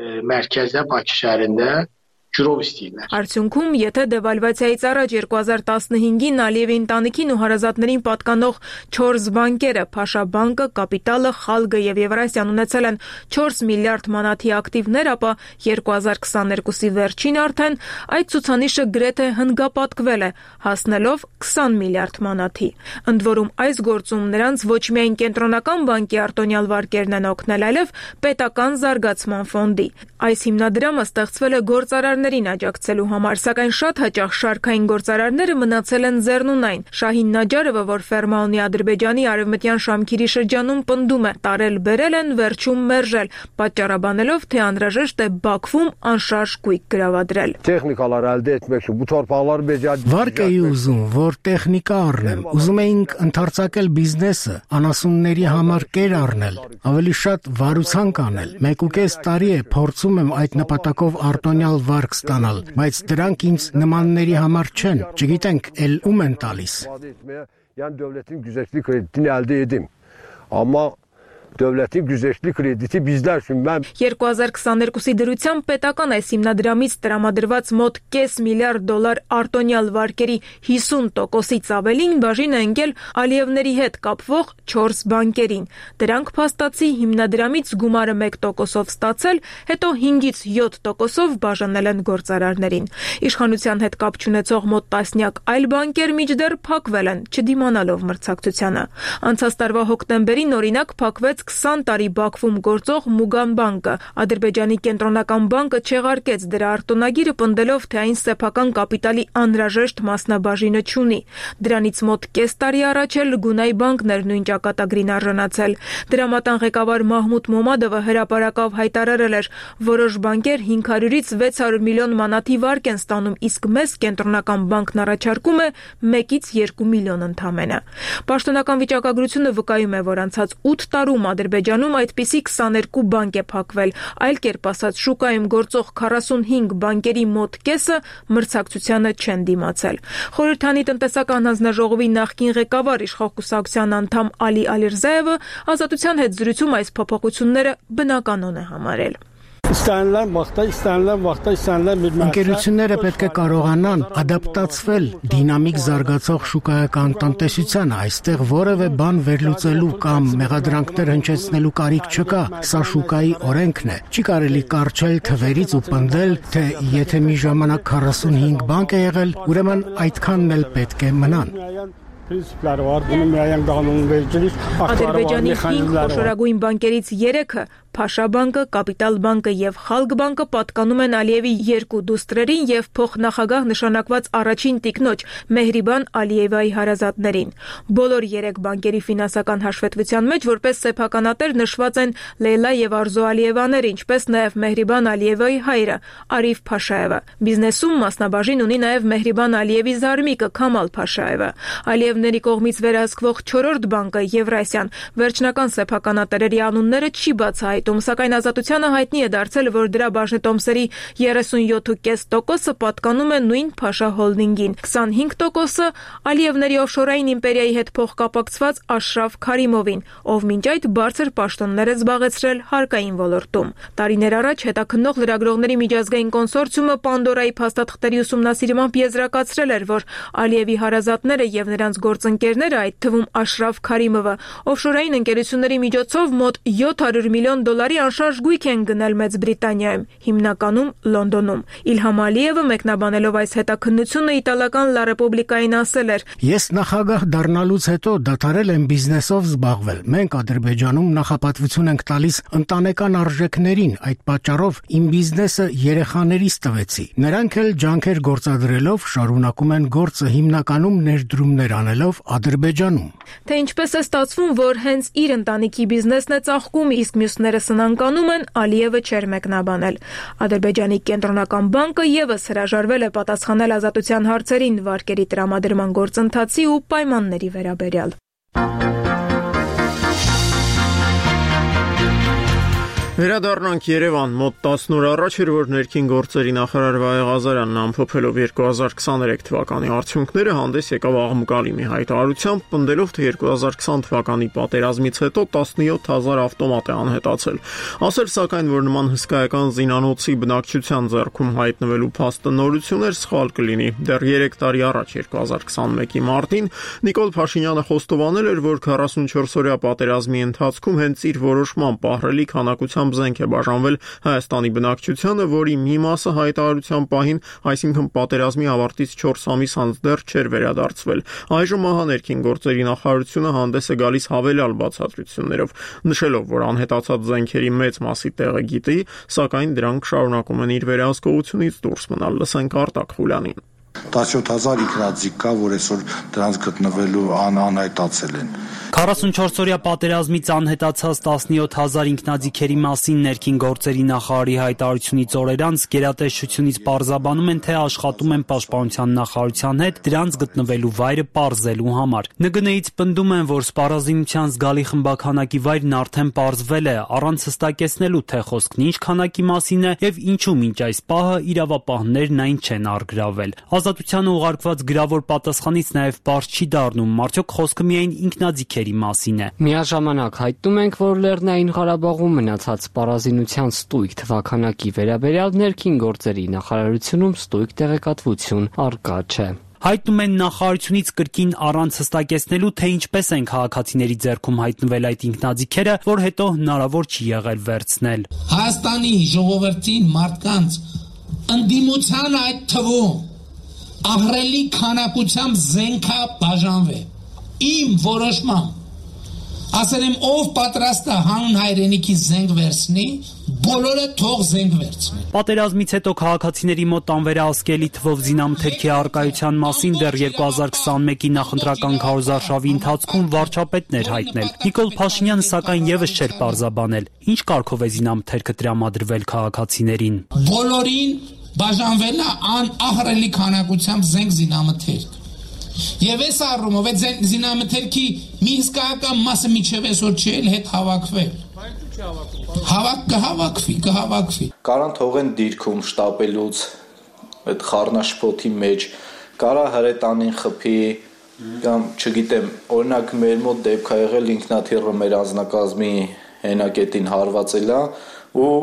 ջրով ստիգներ։ Արդյունքում, եթե դեվալվացիայից առաջ 2015-ին Ալիևի ընտանիքին ու հարազատներին պատկանող 4 բանկերը՝ Փաշաբանկը, Կապիտալը, Խալգը եւ Եվրասիան ունեցել են 4 միլիարդ մանաթի ակտիվներ, ապա 2022-ի վերջին արդեն այդ ցուցանիշը գրեթե հնգապատկվել է, հասնելով 20 միլիարդ մանաթի։ Ընդ որում այս գործում նրանց ոչ միայն կենտրոնական բանկի արտոնյալ վարկերն են օգնել, այլև պետական զարգացման ֆոնդի։ Այս հիմնադրամը ստեղծվել է գործարարներին աջակցելու համար, սակայն շատ հաճախ շարքային գործարարները մնացել են ձեռնունայն։ Շահին Նաջարովը, որ ֆերմա ունի Ադրբեջանի արևմտյան Շամքիրի շրջանում, պնդում է՝ տարել-բերել են, վերջում մերժել, պատճառաբանելով, թե անհրաժեշտ է Բաքվում անշարժ գույք գրավադրել։ Վարկ էի ուզում, որ տեխնիկա առնեմ, ուզում էինք ընդարձակել բիզնեսը, անասունների համար կեր առնել, ավելի շատ վարուցանք անել։ 1.5 տարի է փորձում եմ այդ նպատակով արտոնյալ վարկ ստանալ, բայց դրանք ինձ նմանների համար չեն, չգիտենք էլ ում են տալիս։ Devletin güzəştli krediti bizlər üçün mən 2022-ի դրությամբ պետական այս հիմնադրամից տրամադրված մոտ $0.5 միլիարդ արտոնյալ վարկերի 50%-ից ավելին բաժին է ընկել Ալիևների հետ կապվող 4 բանկերին։ Դրանք փաստացի հիմնադրամից գումարը 1%-ով ստացել, հետո 5-ից 7%-ով բաժանել են գործարարներին։ Իշխանության հետ կապ չունեցող մոտ տասնյակ այլ բանկեր մինչդեռ փակվել են, չդիմանալով մրցակցությանը։ Անցած տարվա հոկտեմբերին օրինակ փակվեց 20 տարի Բաքվում գործող Մուգան բանկը։ Ադրբեջանի կենտրոնական բանկը չեղարկեց դրա արտոնագիրը, պնդելով, թե այն սեփական կապիտալի անհրաժեշտ մասնաբաժինը չունի։ Դրանից մոտ կես տարի առաջ էլ Գունայ բանկն էր նույն ճակատագրին արժանացել։ Դրամատան ղեկավար Մահմուդ Մոմադովը հրապարակավ հայտարարել էր, որոշ բանկեր 500-ից 600 միլիոն մանաթի վարկ են ստանում, իսկ մեզ կենտրոնական բանկն առաջարկում է 1-ից 2 միլիոն ընդամենը։ Պաշտոնական վիճակագրությունը վկայում է, որ անցած 8 տարում Ադրբեջանում այդպիսի 22 բանկ է փակվել, այլ կերպ ասած շուկայում գործող 45 բանկերի մոտ կեսը մրցակցությանը չեն դիմացել։ Խորհրդանի տնտեսական հանձնաժողովի նախկին ղեկավար իշխող կուսակցության անդամ Ալի Ալիրզաևը Ազատության հետ զրույցում այս փոփոխությունները բնականon է համարել։ Ընկերությունները պետք է կարողանան ադապտացվել դինամիկ զարգացող շուկայական տնտեսությանը, այստեղ որևէ բան վերլուծելու կամ մեղադրանքներ հնչեցնելու կարիք չկա, սա շուկայի օրենքն է։ Չի կարելի կառչել թվերից ու պնդել, թե եթե մի ժամանակ 45 բանկ է եղել, ուրեմն այդքանն էլ պետք է մնան։ Ադրբեջանի 5 խոշորագույն բանկերից 3-ը Փաշաբանկը, Կապիտալ բանկը եւ Խալգ բանկը պատկանում են Ալիևի 2 դուստրերին եւ փոխնախագահ նշանակված առաջին տիկնոջ Մեհրիբան Ալիևայի հարազատներին։ Բոլոր 3 բանկերի ֆինանսական հաշվետվության մեջ որպես սեփականատեր նշված են Լեյլա եւ Արզո Ալիևաները, ինչպես նաեւ Մեհրիբան Ալիևայի հայրը Արիֆ Փաշաևը։ Բիզնեսում մասնաբաժին ունի նաեւ Մեհրիբան Ալիևի զարմիկը Քամալ Փաշաևը։ Ալիևների կողմից վերահսկվող 4-րդ բանկը Եվրասիան վերջնական սեփականատերերի անունները չի բացահայտում, սակայն Ազատությանը հայտնի է դարձել, որ դրա բաժնետոմսերի 37.5%-ը պատկանում է նույն Փաշա հոլդինգին, 25%-ը Ալիևների օֆշորային իմպերիայի հետ փոխկապակցված Աշրաֆ Քարիմովին, ով մինչ այդ բարձր պաշտոններ է զբաղեցրել հարկային ոլորտում։ Տարիներ առաջ հետաքննող լրագրողների միջազգային կոնսորցիումը Պանդորայի փաստաթղթերի ուսումնասիրմամբ եզրակացրել էր, որ Ալիևի հարազատները եւ նրանց գործընկերները, այդ թվում Աշրաֆ Քարիմովը, օֆշորային ընկերությունների միջոցով մոտ $700 միլիոն անշարժ գույք են գնել Մեծ Բրիտանիայում, հիմնականում Լոնդոնում։ Իլհամ Ալիևը մեկնաբանելով այս հետաքննությունը իտալական La Repubblica-ին ասել էր. Ես նախագահ դառնալուց հետո դադարել եմ բիզնեսով զբաղվել։ Մենք Ադրբեջանում նախապատվություն ենք տալիս ընտանեկան արժեքներին, այդ պատճառով իմ բիզնեսը երեխաներիս տվեցի։ Նրանք էլ ջանքեր գործադրելով շարունակում են գործը հիմնականում ներդրումներ անելով Ադրբեջանում։ Թե ինչպես է ստացվում, որ հենց իր ընտանիքի բիզնեսն է ծաղկում, իսկ մյուսները սնանկանում են, Ալիևը չէր մեկնաբանել։ Ադրբեջանի կենտրոնական բանկը եւս հրաժարվել է պատասխանել Ազատության հարցերին վարկերի տրամադրման գործընթացի ու պայմանների վերաբերյալ։ Վերադառնանք Երևան, մոտ 10 օր առաջ էր, որ ներքին գործերի նախարար Վահե Ղազարյանն ամփոփելով 2023 թվականի արդյունքները հանդես եկավ աղմկալի մի հայտարարությամբ, պնդելով, թե 2020 թվականի պատերազմից հետո 17000 ավտոմատ է անհետացել։ Ասել սակայն, որ նման հսկայական զինանոցի բնակչության ձեռքում հայտնվելու փաստը նորություն էր, սխալ կլինի։ Դեռ 3 տարի առաջ 2021-ի մարտին Նիկոլ Փաշինյանը խոստովանել էր, որ 44-օրյա պատերազմի ընթացքում հենց իր որոշմամբ ահռելի քանակությամբ զենք է բաժանվել Հայաստանի բնակչությանը, որի մի մասը հայտարարության պահին, այսինքն պատերազմի ավարտից 4 ամիս անց դեռ չէր վերադարձվել։ Այժմ ահա ներքին գործերի նախարարությունը հանդես է գալիս հավելյալ բացատրություններով, նշելով, որ անհետացած զենքերի մեծ մասի տեղը գիտի, սակայն դրանք շարունակում են իր վերահսկողությունից դուրս մնալ։ Լսենք Արտակ Խուլյանին։ 17000 ինքնաձիգ կա, որ այսօր դրանց գտնվելու անհայտացել են։ 44-օրյա պատերազմից անհետացած 17000 ինքնաձիգերի մասին ներքին գործերի նախարարի հայտարարությունից օրեր անց գերատեսչությունից պարզաբանում են, թե աշխատում են պաշտպանության նախարարության հետ դրանց գտնվելու վայրը պարզելու համար։ ՆԳՆ-ից պնդում են, որ սպառազինության զգալի խմբաքանակի վայրն արդեն պարզվել է, առանց հստակեցնելու, թե խոսքն ինչ քանակի մասին է եւ ինչու մինչ այս պահը իրավապահներն այն չեն առգրավել։ Ազատությանը ուղարկված գրավոր պատասխանից նաև բարձ չի դառնում, արդյոք խոսքը միայն ինքնաձիգերի մասին է։ Միաժամանակ հայտնում ենք, որ Լեռնային Ղարաբաղում մնացած սպառազինության ստույգ թվաքանակի վերաբերյալ ներքին գործերի նախարարությունում ստույգ տեղեկատվություն առկա չէ։ Հայտնում են նախարարությունից կրկին առանց հստակեցնելու, թե ինչպես են քաղաքացիների ձեռքում հայտնվել այդ ինքնաձիգերը, որ հետո հնարավոր չի եղել վերցնել։ Հայաստանի ժողովրդին մարդկանց ընդդիմության այդ թվում ահռելի քանակությամբ զենքա բաժանվե։ Իմ որոշմամբ ասել եմ, ով պատրաստ է հանուն հայրենիքի զենք վերցնի, բոլորը թող զենք վերցնեն։ Պատերազմից հետո քաղաքացիների մոտ անվերահսկելի թվով զինամթերքի առկայության մասին դեռ 2021-ի նախընտրական քարոզարշավի ընթացքում վարչապետն էր հայտնել։ Նիկոլ Փաշինյանը սակայն եւս չէր պարզաբանել, ինչ կարգով է զինամթերքը տրամադրվել քաղաքացիներին։ Բոլորին բաժանվել է ահռելի քանակությամբ զենք զինամթերք։ Եվ այս առումով այդ զինամթերքի մի հսկայական մասը միջև այսօր չի էլ հետ հավաքվել։ Կհավաքվի։ Կարան թողեն դիրքում շտապելուց այդ խառնաշփոթի մեջ, կարա հրետանին խփի կամ չգիտեմ, օրինակ մեր մոտ դեպք ա եղել ինքնաթիռը մեր անձնակազմի հենակետին հարվածել է ու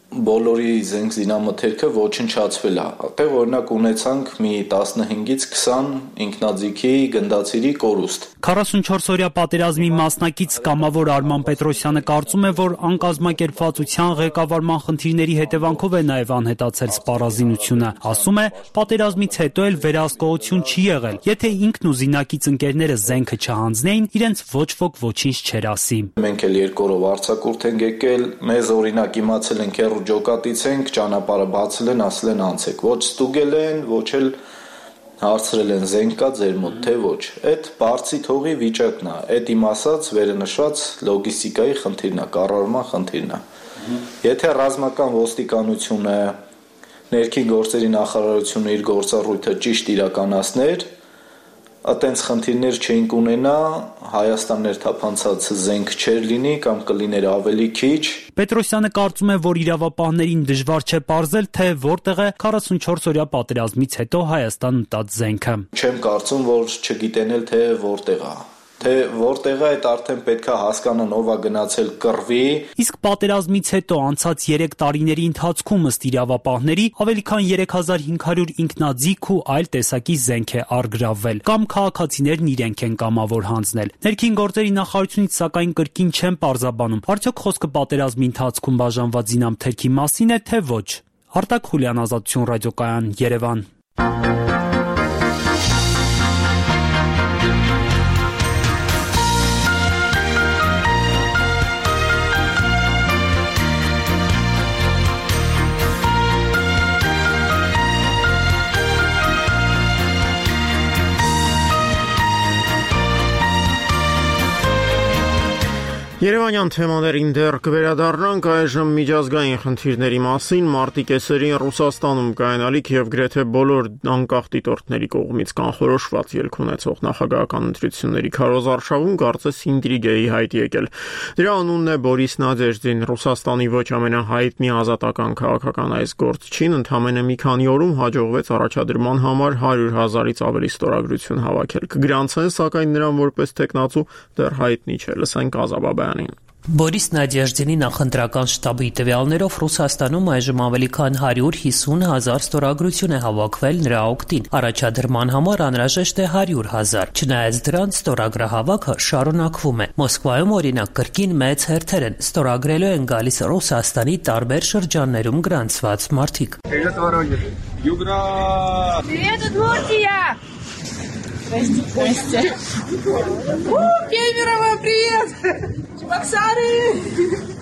բոլորի զենք զինամթերքը ոչնչացվել է։ Այդտեղ օրինակ ունեցանք մի 15-ից 20 ինքնաձիգի գնդացիրի կորուստ։ 44-օրյա պատերազմի մասնակից կամավոր Արման Պետրոսյանը կարծում է, որ անկազմակերպվածության ղեկավարման խնդիրների հետևանքով է նաև անհետացել սպառազինությունը։ Ասում է, պատերազմից հետո էլ վերահսկողություն չի եղել։ Եթե ինքն ու զինակից ընկերները զենքը չհանձնեին, իրենց ոչ ոք ոչինչ չէր ասի։ Մենք էլ երկորով արձակուրդ ենք եկել, մեզ օրինակ իմացել ենք ջոկատից ենք, ճանապարհը բացել են, ասել են անցեք, ոչ ստուգել են, ոչ էլ հարցրել են զենք կա ձեր մոտ, թե ոչ։ Այդ բարձի թողի վիճակն է, այդ իմ ասած վերնշված լոգիստիկայի խնդիրն է, կառավարման խնդիրն է։ Եթե ռազմական ոստիկանությունը, ներքին գործերի նախարարությունը իր գործառույթը ճիշտ իրականացներ, այտենց խնդիրներ չէինք ունենա, Հայաստան ներթափանցած զենք չէր լինի կամ կլիներ ավելի քիչ։ Պետրոսյանը կարծում է, որ իրավապահներին դժվար չէ պարզել, թե որտեղ է 44-օրյա պատերազմից հետո Հայաստան մտած զենքը։ Չեմ կարծում, որ չգիտեն էլ թե որտեղ է։ Թե որտեղ է, այդ արդեն պետք է հասկանան ով է գնացել կռվի։ Իսկ պատերազմից հետո անցած 3 տարիների ընթացքում ըստ իրավապահների ավելի քան 3500 ինքնաձիգ ու այլ տեսակի զենք է առգրավվել, կամ քաղաքացիներն իրենք են կամավոր հանձնել։ Ներքին գործերի նախարարությունից սակայն կրկին չեն պարզաբանում, արդյոք խոսքը պատերազմի ընթացքում բաժանված զինամթերքի մասին է, թե ոչ։ Արտակ Խուլյան, Ազատություն ռադիոկայան, Երևան։ Երևանյան թեմաներին դեռ կվերադառնանք այժմ միջազգային խնդիրների մասին մարտի կեսերին Ռուսաստանում կայանալիք եւ գրեթե բոլոր անկախ դիտորդների կողմից կանխորոշված ելք ունեցող նախագահական ընտրությունների քարոզարշավում կարծես ինտրիգ է հայտ եկել։ Դրա անունն է Բորիս Նադեժդին, Ռուսաստանի ոչ ամենահայտնի ազատական քաղաքական այս գործչին ընդամենը մի քանի օրում հաջողվեց առաջադրման համար 100,000-ից ավելի ստորագրություն հավաքել։ Կգրանցեն սակայն նրան որպես տեխնացու դեռ հայտնի չէ։ Լսենք Ազաբաբյանին։ Բորիս Նադեժդինի նախընտրական շտաբի տվյալներով Ռուսաստանում այժմ ավելի քան 150,000 ստորագրություն է հավաքվել նրա օգտին։ Առաջադրման համար անհրաժեշտ է 100,000։ Չնայած դրան ստորագրահավաքը շարունակվում է։ Մոսկվայում օրինակ կրկին մեծ հերթեր են ստորագրելու են գալիս Ռուսաստանի տարբեր շրջաններում գրանցված մարդիկ։ Здрасте. Кемерово, привет! Чебоксары!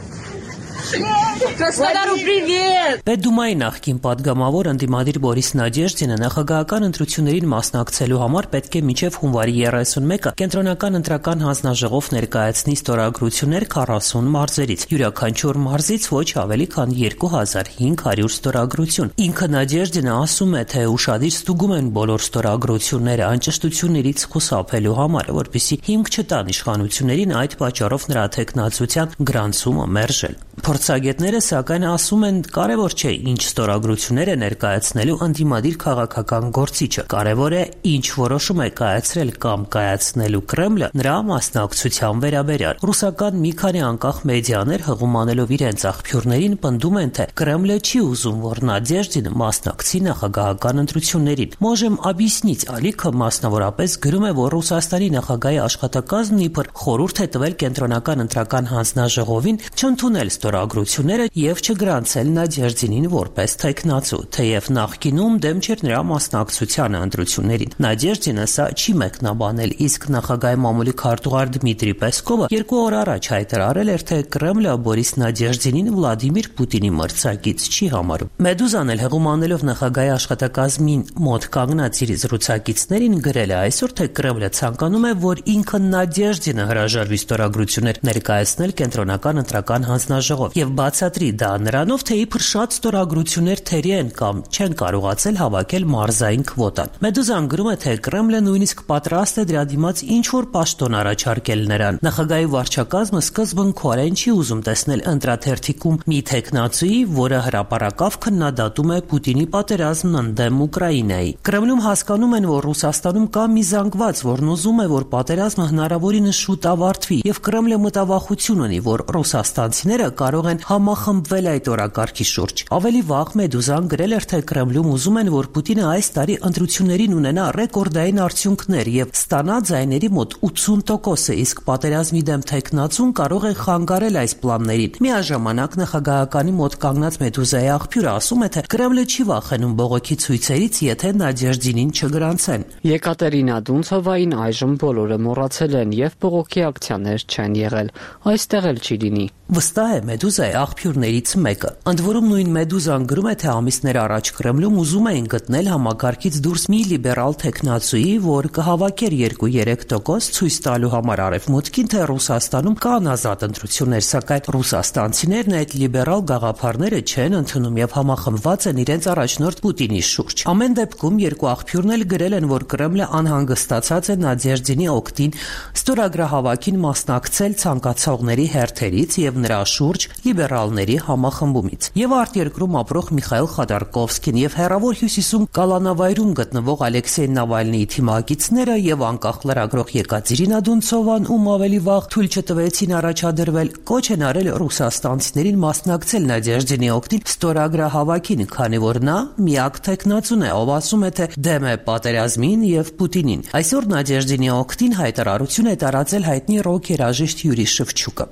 Краснодару привет! Պետդումայի նախկին падգամավոր ընդդիմադիր Բորիս Նադեժդինը նախագահական ընտրություններին մասնակցելու համար պետք է մինչև հունվարի 31-ը կենտրոնական ընտրական հանձնաժողով ներկայացնի ստորագրություններ 40 մարզերից։ Յուրաքանչյուր մարզից ոչ ավելի քան 2500 ստորագրություն։ Ինքը Նադեժդինը ասում է, թե ուշադիր ստուգում են բոլոր ստորագրությունները անճշտություններից խուսափելու համար, որպեսզի հիմք չտան իշխանություններին այդ պատճառով նրա տեխնացության գրանցումը մերժել։ Փորձագետները սակայն ասում են, կարևոր չէ ինչ ստորագրություններ է ներկայացնելու ընդդիմադիր քաղաքական գործիչը, կարևոր է ինչ որոշում է կայացրել կամ կայացնելու Կրեմլը նրա մասնակցության վերաբերյալ։ Ռուսական մի քանի անկախ մեդիաներ հղումանելով իրենց աղբյուրներին պնդում են, թե Կրեմլը չի ուզում, որ Նադեժդինը մասնակցի նախագահական ընտրություններին։ Можем объяснить, ալիքը մասնավորապես գրում է, որ Ռուսաստանի նախագահի աշխատակազմն իբր խորհուրդ է տվել կենտրոնական ընտրական հանձնաժողովին չընդունել ստորագրությունները եւ չգրանցել Նադեժդինին որպես տեխնացու, թեև նախկինում դեմ չէր նրա մասնակցությանը ընտրություններին։ Նադեժդինը սա չի մեկնաբանել, իսկ նախագահի մամուլի քարտուղար Դմիտրի Պեսկովը 2 օր առաջ հայտարարել էր, թե Կրեմլը Բորիս Նադեժդինին Վլադիմիր Պուտինի մրցակից չի համարում։ Մեդուզան էլ հեղումանելով նախագահի աշխատակազմին մոտ կանգնած իր զրուցակիցներին գրել է այսօր, թե Կրեմլը ցանկանում է, որ ինքը Նադեժդինը հրաժարվի ստորագրություններ ներկայացնել կենտրոնական ընտրական հանձնաժողով եւ բացատրի դա նրանով, թե իբր շատ ստորագրություններ թերի են կամ չեն կարողացել հավաքել մարզային քվոտան։ Մեդուզան գրում է, թե Կրեմլը նույնիսկ պատրաստ է դրա դիմաց ինչ-որ պաշտոն առաջարկել նրան։ Նախագահի վարչակազմը սկզբնքորեն չի ուզում տեսնել ընտրաթերթիկում մի տեխնացուի, որը հրապարակավ քննադատում է Պուտինի պատերազմն ընդդեմ Ուկրաինայի։ Կրեմլում հասկանում են, որ Ռուսաստանում կա մի զանգված, որն ուզում է, որ պատերազմը հնարավորինս շուտ ավարտվի, եւ Կրեմլը մտավախություն ունի, որ ռուսաստանցիները կարող են համախմբվել այդ օրակարգի շուրջ։ Ավելի վաղ Մեդուզան գրել էր, թե Կրեմլում ուզում են, որ Պուտինը այս տարի ընտրություններին ունենա ռեկորդային արդյունքներ եւ ստանա ձայների մոտ 80%-ը, իսկ պատերազմի դեմ տեխնացուն կարող է խանգարել այս պլաններին։ Միաժամանակ նախագահականի մոտ կանգնած Մեդուզայի աղբյուրը ասում է, թե Կրեմլը չի վախենում բողոքի ցույցերից, եթե Նադեժդինին չգրանցեն։ Եկատերինա Դունցովային այժմ բոլորը մոռացել են եւ բողոքի ակցիաներ չեն եղել։ Այստեղ էլ չի լինի։ Վստահ է Մեդուզայի աղբյուրներից մեկը։ Ընդ որում նույն Մեդուզան գրում է, թե ամիսներ առաջ Կրեմլում ուզում էին գտնել համակարգից դուրս մի լիբերալ տեխնացուի, որ կհավաքեր 2-3% ցույց տալու համար արևմուտքին, թե Ռուսաստանում կան ազատ ընտրություններ, սակայն ռուսաստանցիներն այդ լիբերալ գաղափարները չեն ընդունում եւ համախմբված են իրենց առաջնորդ Պուտինի շուրջ։ Ամեն դեպքում երկու աղբյուրն էլ գրել են, որ Կրեմլը անհանգստացած է Նադեժդինի օգտին ստորագրահավաքին մասնակցել ցանկացողների հերթերից եւ նրա շուրջ լիբերալների համախմբումից։ Եվ արտերկրում ապրող Միխայել Խադարկովսկին եւ հեռավոր հյուսիսում Կալանավայրում գտնվող Ալեքսեյ Նավալնիի թիմակիցները եւ անկախ լրագրող Եկատերինա Դունցովան, ում ավելի վաղ թույլ չտվեցին առաջադրվել, կոչ են արել ռուսաստանցիներին մասնակցել Նադեժդինի օգտին ստորագրահավաքին, քանի որ նա միակ տեխնացուն է, ով ասում է, թե դեմ է պատերազմին եւ Պուտինին։ Այսօր Նադեժդինի օգտին հայտարարություն է տարածել հայտնի ռոք երաժիշտ Յուրի Շևչուկը։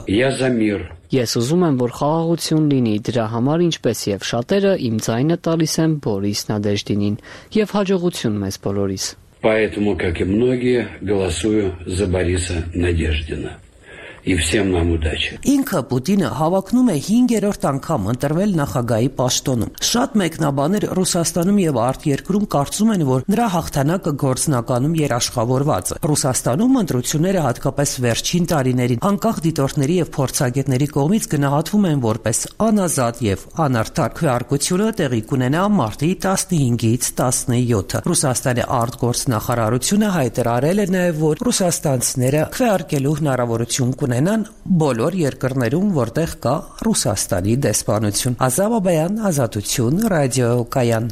Ես ուզում եմ, որ խաղաղություն լինի, դրա համար ինչպես եւ շատերը իմ ձայնը տալիս են Բորիս Նադեժդինին եւ հաջողություն մեզ բոլորիս։ Поэтому, как и многие, голосую за Бориса Надеждина. и всем нам удачи. Ինքը Պուտինը հավակնում է 5-րդ անգամ ընտրվել նախագահի պաշտոնում։ Շատ մեկնաբաներ Ռուսաստանում եւ արտերկրում կարծում են, որ նրա հաղթանակը գործնականում երաշխավորված է։ Ռուսաստանում ընտրությունները հատկապես վերջին տարիներին անկախ դիտորդների եւ փորձագետների կողմից գնահատվում են որպես անազատ եւ անարդար։ Քվեարկությունը տեղի կունենա մարտի 15-ից 17-ը։ Ռուսաստանի արտգործնախարարությունը հայտարարել է նաեւ, որ ռուսաստանցիները քվեարկելու հնարավորություն կունենան բոլոր երկրներում, որտեղ կա Ռուսաստանի դեսպանություն։ Ազատ Բաբայան, Ազատություն, ռադիոկայան։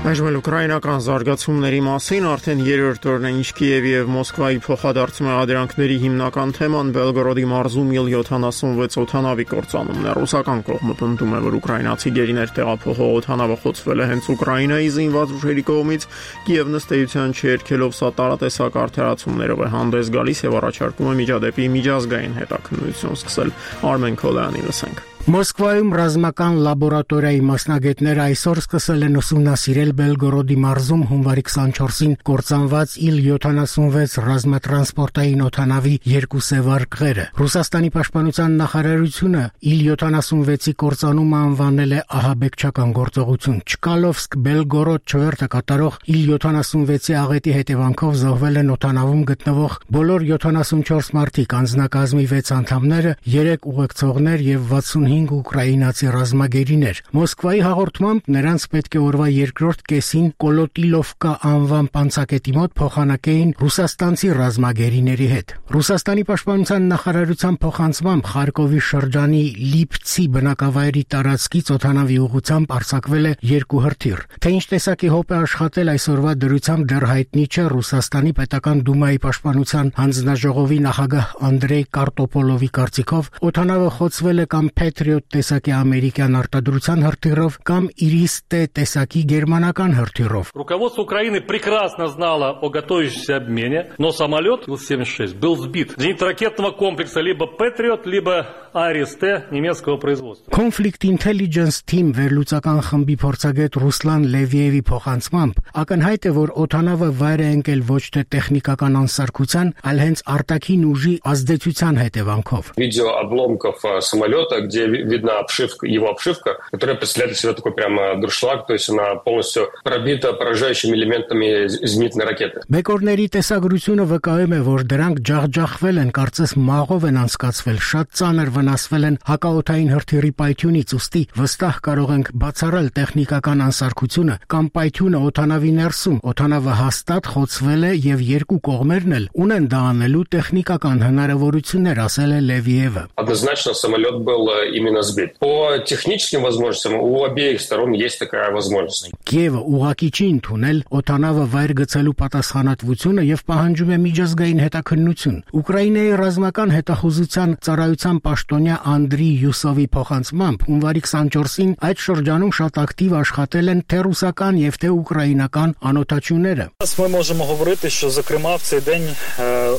Այժմ ուկրաինական զարգացումների մասին արդեն երրորդ օրն է, ինչ Կիևի եւ Մոսկվայի փոխադարձ մեղադրանքների հիմնական թեման Բելգորոդի մարզում Il-76 օդանավի կործանումն է։ Ռուսական կողմը պնդում է, որ ուկրաինացի գերիներ տեղափոխող օդանավը խոցվել է հենց Ուկրաինայի զինված ուժերի կողմից։ Կիևն ըստ էության չերքելով սա տարատեսակ արդարացումներով է հանդես գալիս եւ առաջարկում է միջադեպի միջազգային հետաքննություն սկսել։ Արմեն Քոլյանի լսենք։ Մոսկվայում ռազմական լաբորատորիայի մասնագետները այսօր սկսել են ուսումնասիրել Բելգորոդի մարզում հունվարի 24-ին կործանված Il-76 ռազմատրանսպորտային օդանավի երկու սևարկղերը։ Ռուսաստանի պաշտպանության նախարարությունը Il-76-ի կործանումը անվանել է ահաբեկչական գործողություն։ Չկալովսկ-Բելգորոդ չվերթը կատարող Il-76-ի աղետի հետևանքով զոհվել են օդանավում գտնվող բոլոր 74 մարդիկ, անձնակազմի 6 անդամները, 3 ուղեկցողներ եւ 65 ուկրաինացի ռազմագերիներ։ Մոսկվայի հաղորդմամբ նրանց պետք է օրվա երկրորդ կեսին Կոլոտիլովկա անվան պանցակետի մոտ փոխանակեին ռուսաստանցի ռազմագերիների հետ։ Ռուսաստանի պաշտպանության նախարարության փոխանցմամբ Խարկովի շրջանի Լիպցի բնակավայրի տարածքից օդանավի ուղղությամբ արձակվել է 2 հրթիռ։ Թե ինչ տեսակի հոպ է աշխատել այսօրվա դրությամբ դեռ հայտնի չէ։ Ռուսաստանի պետական դումայի պաշտպանության հանձնաժողովի նախագահ Անդրեյ Կարտոպոլովի կարծիքով օդանավը խոցվել է կամ Patriot տեսակի ամերիկյան արտադրության հրթիռով կամ Iris-T տեսակի գերմանական հրթիռով։ Руководство Украины прекрасно знало о готовящемся обмене, но самолет Ил-76 был сбит. Зенитно-ракетного комплекса либо Patriot, либо Iris-T немецкого производства. Conflict Intelligence Team վերլուծական խմբի փորձագետ Ռուսլան Լևիևի փոխանցմամբ ակնհայտ է, որ օդանավը վայր է ընկել ոչ թե տեխնիկական անսարքության, այլ հենց արտաքին ուժի ազդեցության հետևանքով։ Видео обломков самолета, где видна обшивка, его обшивка, которая представляет из себя такой прямо дуршлаг, то есть она полностью пробита поражающими элементами зенитной ракеты. Բեկորների տեսագրությունը վկայում է, որ դրանք ջախջախվել են, կարծես մաղով են անցկացվել, շատ ծանր վնասվել են հակաօդային հրթիռի պայթյունից, ուստի վստահ կարող ենք բացառել տեխնիկական անսարքությունը կամ պայթյունը օդանավի ներսում։ Օդանավը հաստատ խոցվել է եւ երկու կողմերն էլ ունեն դա անելու տեխնիկական հնարավորություններ, ասել է Լևիևը։ Однозначно самолет был именно сбит. По техническим возможностям у обеих сторон есть такая возможность. Կիևը ուղղակի չի ընդունել օդանավը վայր գցելու պատասխանատվությունը եւ պահանջում է միջազգային հետաքննություն։ Ուկրաինայի ռազմական հետախուզության ծառայության պաշտոնյա Անդրի Յուսովի փոխանցմամբ հունվարի 24-ին այդ շրջանում շատ ակտիվ աշխատել են թե ռուսական եւ թե ուկրաինական անօթաչուները։ Ми можемо говорити, що зокрема в цей день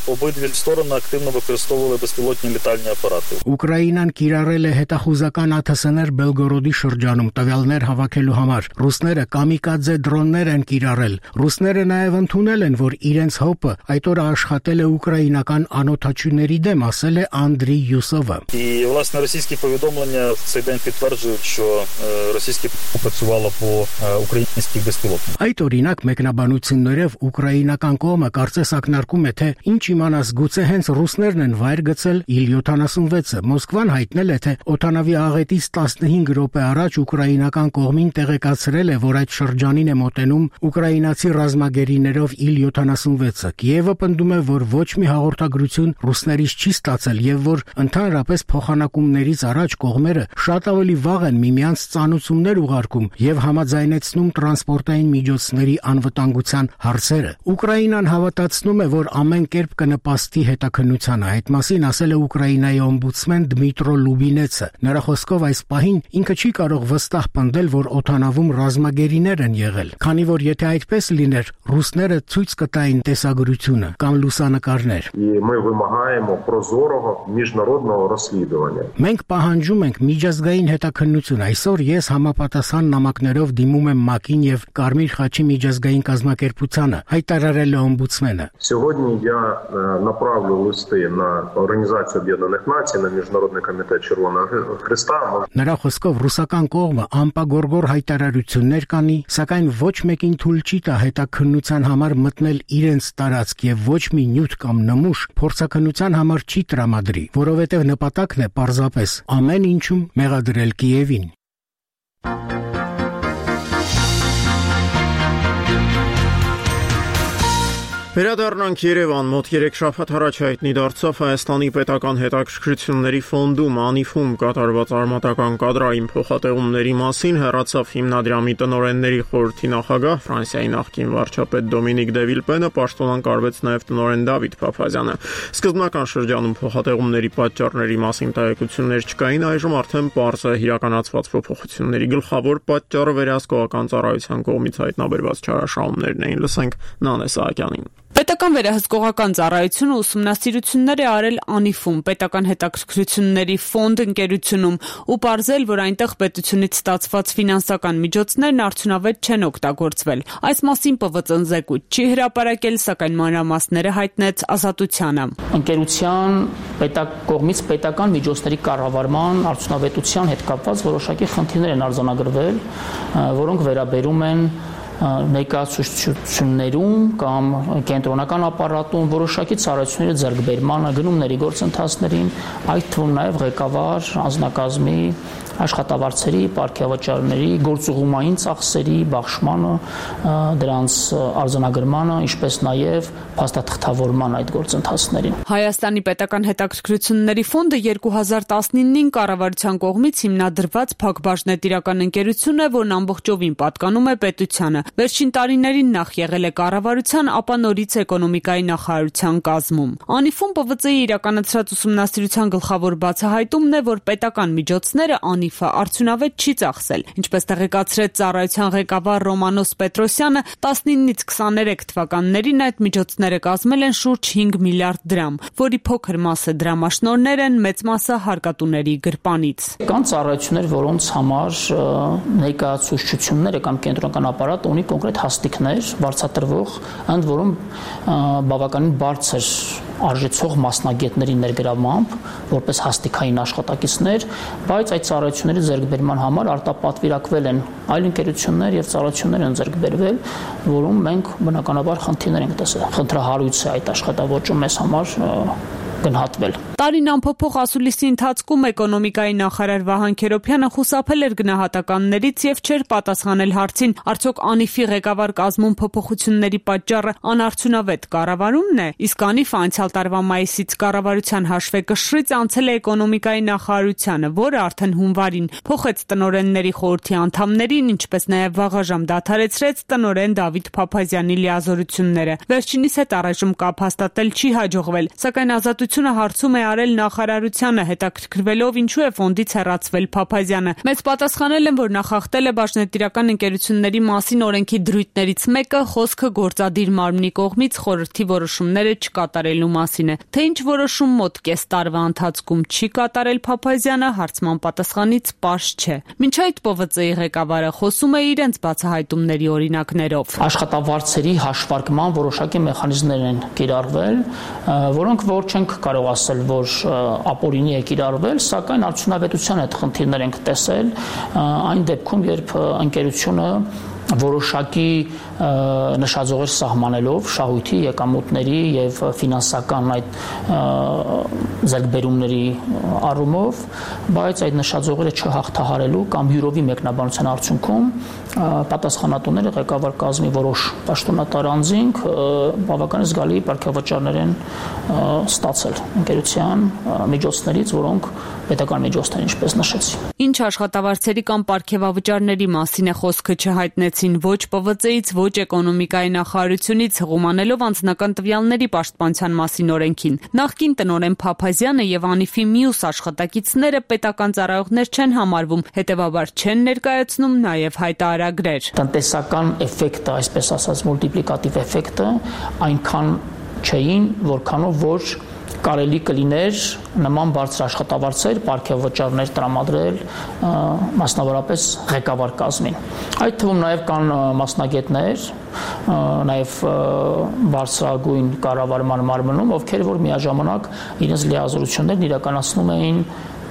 обидві сторони активно використовували безпілотні літальні апарати. Ուկրաինան կիրառել է հետախուզական ԱԹՍ-ներ Բելգորոդի շրջանում տվյալներ հավաքելու համար։ Ռուսները կամիկադզե դրոններ են կիրառել։ Ռուսները նաև ընդունել են, որ իրենց հոպը այդ օրը աշխատել է ուկրաինական անօթաչուների դեմ, ասել է Անդրի Յուսովը։ І, власне, російські повідомлення в цей день підтверджують, що російські працювало по українських безпілотниках. Այդ օրինակ մեկնաբանություններով ուկրաինական կողմը կարծես ակնարկում է, թե ինչ իմանաս գուցե հենց ռուսներն են վայր գցել Il-76-ը։ Մոսկվան հայտնել է, թե օդանավի աղետից 15 րոպե առաջ ուկրաինական կողմին տեղեկացրել է, որ այդ շրջանին է մոտենում ուկրաինացի ռազմագերիներով Il-76-ը։ Կիևը պնդում է, որ ոչ մի հաղորդագրություն ռուսներից չի ստացել եւ որ ընդհանրապես փոխանակումներից առաջ կողմերը շատ ավելի վաղ են միմյանց ծանուցումներ ուղարկում եւ համաձայնեցնում տրանսպորտային միջոցների անվտանգության հարցերը։ Ուկրաինան հավատացնում է, որ ամեն կերպ կնպաստի հետաքննությանը։ Այդ մասին ասել է Ուկրաինայի օմբուդսմեն Դմիտրո Լուբինեցը։ Նրա խոսքով այս պահին ինքը չի կարող վստահ պնդել, որ օդանավում ռազմագերիներ են եղել, քանի որ եթե այդպես լիներ, ռուսները ցույց կտային տեսագրությունը կամ լուսանկարներ։ Մենք պահանջում ենք միջազգային հետաքննություն։ Այսօր ես համապատասխան նամակներով դիմում եմ ՄԱԿ-ին եւ Կարմիր խաչի միջազգային կազմակերպությանը, հայտարարել է օմբուդսմենը։ Сегодня я направлю листы на Организацию Объединенных Наций, на Международный комитет Червоного Христа. Նրա խոսքով ռուսական կողմը անպագորգոր հայտարարություններ կանի, սակայն ոչ մեկին թույլ չի տա հետաքննության համար մտնել իրենց տարածք եւ ոչ մի նյութ կամ նմուշ փորձաքննության համար չի տրամադրի, որովհետեւ նպատակն է պարզապես ամեն ինչում մեղադրել Կիևին։ Վերադառնանք Երևան, մոտ 3 շաբաթ առաջ հայտնի դարձավ Հայաստանի պետական հետաքրքրությունների ֆոնդում անիֆում կատարված արմատական կադրային փոխատեղումների մասին հեռացավ հիմնադրամի տնօրենների խորհրդի նախագահ Ֆրանսիայի նախկին վարչապետ Դոմինիկ դե Վիլպենը, պաշտոնանկարվեց նաև տնօրեն Դավիթ Փափազյանը։ Սկզբնական շրջանում փոխատեղումների պատճառների մասին տեղեկություններ չկային, այժմ արդեն պարզ է իրականացված փոփոխությունների գլխավոր պատճառը վերահսկողական ծառայության կողմից հայտնաբերված չարաշահումներն էին։ Լսենք Նանե Սահակյանին։ Պետական վերահսկողական ծառայությունը ուսումնասիրություններ է արել անիֆում, պետական հետաքրքրությունների ֆոնդ ընկերությունում ու պարզել, որ այնտեղ պետությունից ստացված ֆինանսական միջոցներն արդյունավետ չեն օգտագործվել։ Այս մասին ՊՎԾ-ն զեկույց չի հրապարակել, սակայն մանրամասները հայտնեց Ազատությանը։ Ընկերության կողմից պետական միջոցների կառավարման արդյունավետության հետ կապված որոշակի խնդիրներ են արձանագրվել, որոնք վերաբերում են ներկայացուցչություններում կամ կենտրոնական ապարատում որոշակի ծառայությունների ձեռքբերմանը, գնումների գործընթացներին, այդ թվում նաև ղեկավար անձնակազմի աշխատավարձերի, պարգևաճարների, գործուղումային ծախսերի բաշխմանը, դրանց արձանագրմանը, ինչպես նաև փաստաթղթավորման այդ գործընթացներին։ Հայաստանի պետական հետաքրքրությունների ֆոնդը 2019-ին կառավարության կողմից հիմնադրված փակbaşնետիրական ընկերություն է, որն ամբողջովին պատկանում է պետությանը։ Վերջին տարիներին նախ եղել է կառավարության, ապա նորից էկոնոմիկայի նախարարության կազմում։ Անիֆում ՊՎԾ-ի իրականացրած ուսումնասիրության գլխավոր բացահայտումն է, որ պետական միջոցները անիֆը արդյունավետ չի ծախսել։ Ինչպես տեղեկացրեց ծառայության ղեկավար Ռոմանոս Պետրոսյանը, 19-ից 23 թվականներին այդ միջոցները կազմել են շուրջ 5 միլիարդ դրամ, որի փոքր մասը դրամաշնորհներ են, մեծ մասը հարկատուների գրպանից։ Կան ծառայություններ, որոնց համար ներկայացուցչությունները կամ կենտրոնական ապարատը ունի կոնկրետ հաստիկներ, վարձատրվող, ընդ որում բավականին բարձր արժեցող մասնագետների ներգրավմամբ, որպես հաստիկային աշխատակիցներ, բայց այդ ծառայությունների ձեռքբերման համար արտապատվիրակվել են այլ ընկերություններ եւ ծառայություններ են ձեռքբերվել, որում մենք բնականաբար խնդիրներ ենք տեսել։ Խնդրահարույց է այդ աշխատավոճը մեզ համար գնահատվել։ Տարին ամփոփող ասուլիսի ընթացքում էկոնոմիկայի նախարար Վահան Քերոբյանը խուսափել էր գնահատականներից եւ չէր պատասխանել հարցին, արդյոք անիֆի ղեկավար կազմում փոփոխությունների պատճառը անարդյունավետ կառավարումն է, իսկ անիֆը անցյալ տարվա մայիսից կառավարության հաշվեկշռից անցել է էկոնոմիկայի նախարարությանը, որը արդեն հունվարին փոխեց տնօրենների խորհրդի անդամներին, ինչպես նաեւ վաղաժամ դադարեցրեց տնօրեն Դավիթ Փափազյանի լիազորությունները։ Վերջինիս հետ առայժմ կապ հաստատել չի հաջողվել, սակայն Ազատությունը հարցում է արել նախարարությանը, հետաքրքրվելով ինչու է ֆոնդից հեռացվել Փափազյանը։ Մեծ պատասխանել են, որ նախախտել է Բաշնետիրական ընկերությունների մասին օրենքի դրույթներից մեկը խոսքը գործադիր մարմնի կողմից խորհրդի որոշումները չկատարելու մասին է։ Թե ինչ որոշում մոտ կես տարվա ընթացքում չի կատարել Փափազյանը, հարցման պատասխանից պարզ չէ։ Մինչ այդ ՊՎԾ-ի ղեկավարը խոսում է իրենց բացահայտումների օրինակներով։ Աշխատավարձերի հաշվարկման որոշակի մեխանիզմներ են կիրառվել, որոնք որ չենք կարող ասել, որ ապօրինի է կիրառվել, սակայն արդյունավետության հետ խնդիրներ ենք տեսել այն դեպքում, երբ ընկերությունը որոշակի նշաձողեր սահմանելով շահույթի եկամուտների եւ ֆինանսական այդ ձեռքբերումների առումով, բայց այդ նշաձողերը չհաղթահարելու կամ յուրովի մեկնաբանության արդյունքում պատասխանատուները ղեկավար կազմի որոշ պաշտոնատար անձինք բավականին զգալի պարգևաճարներ են ստացել ընկերության միջոցներից, որոնք պետական միջոցներ, ինչպես նշեցի։ Ինչ աշխատավարձերի կամ պարգևավճարների մասին է խոսքը չհայտնեցին ոչ ՊՎԾ-ից, ոչ էկոնոմիկայի նախարարությունից, հղումանելով անձնական տվյալների պաշտպանության մասին օրենքին։ Նախկին տնօրեն Փափազյանը եւ Անիֆի մյուս աշխատակիցները պետական ծառայողներ չեն համարվում, հետեւաբար չեն ներկայացնում նաեւ հայտարարագրեր։ Տնտեսական էֆեկտը, այսպես ասած, մուլտիպլիկատիվ էֆեկտը այնքան չէին, որքանով որ կարելի կլիներ նման բարձր աշխատավարձեր, պարգևավճարներ տրամադրել մասնավորապես ղեկավար կազմին։ Այդ թվում նաև կան մասնագետներ, նաև բարձրագույն կառավարման մարմնում, ովքեր որ միաժամանակ իրենց լիազորություններն իրականացնում էին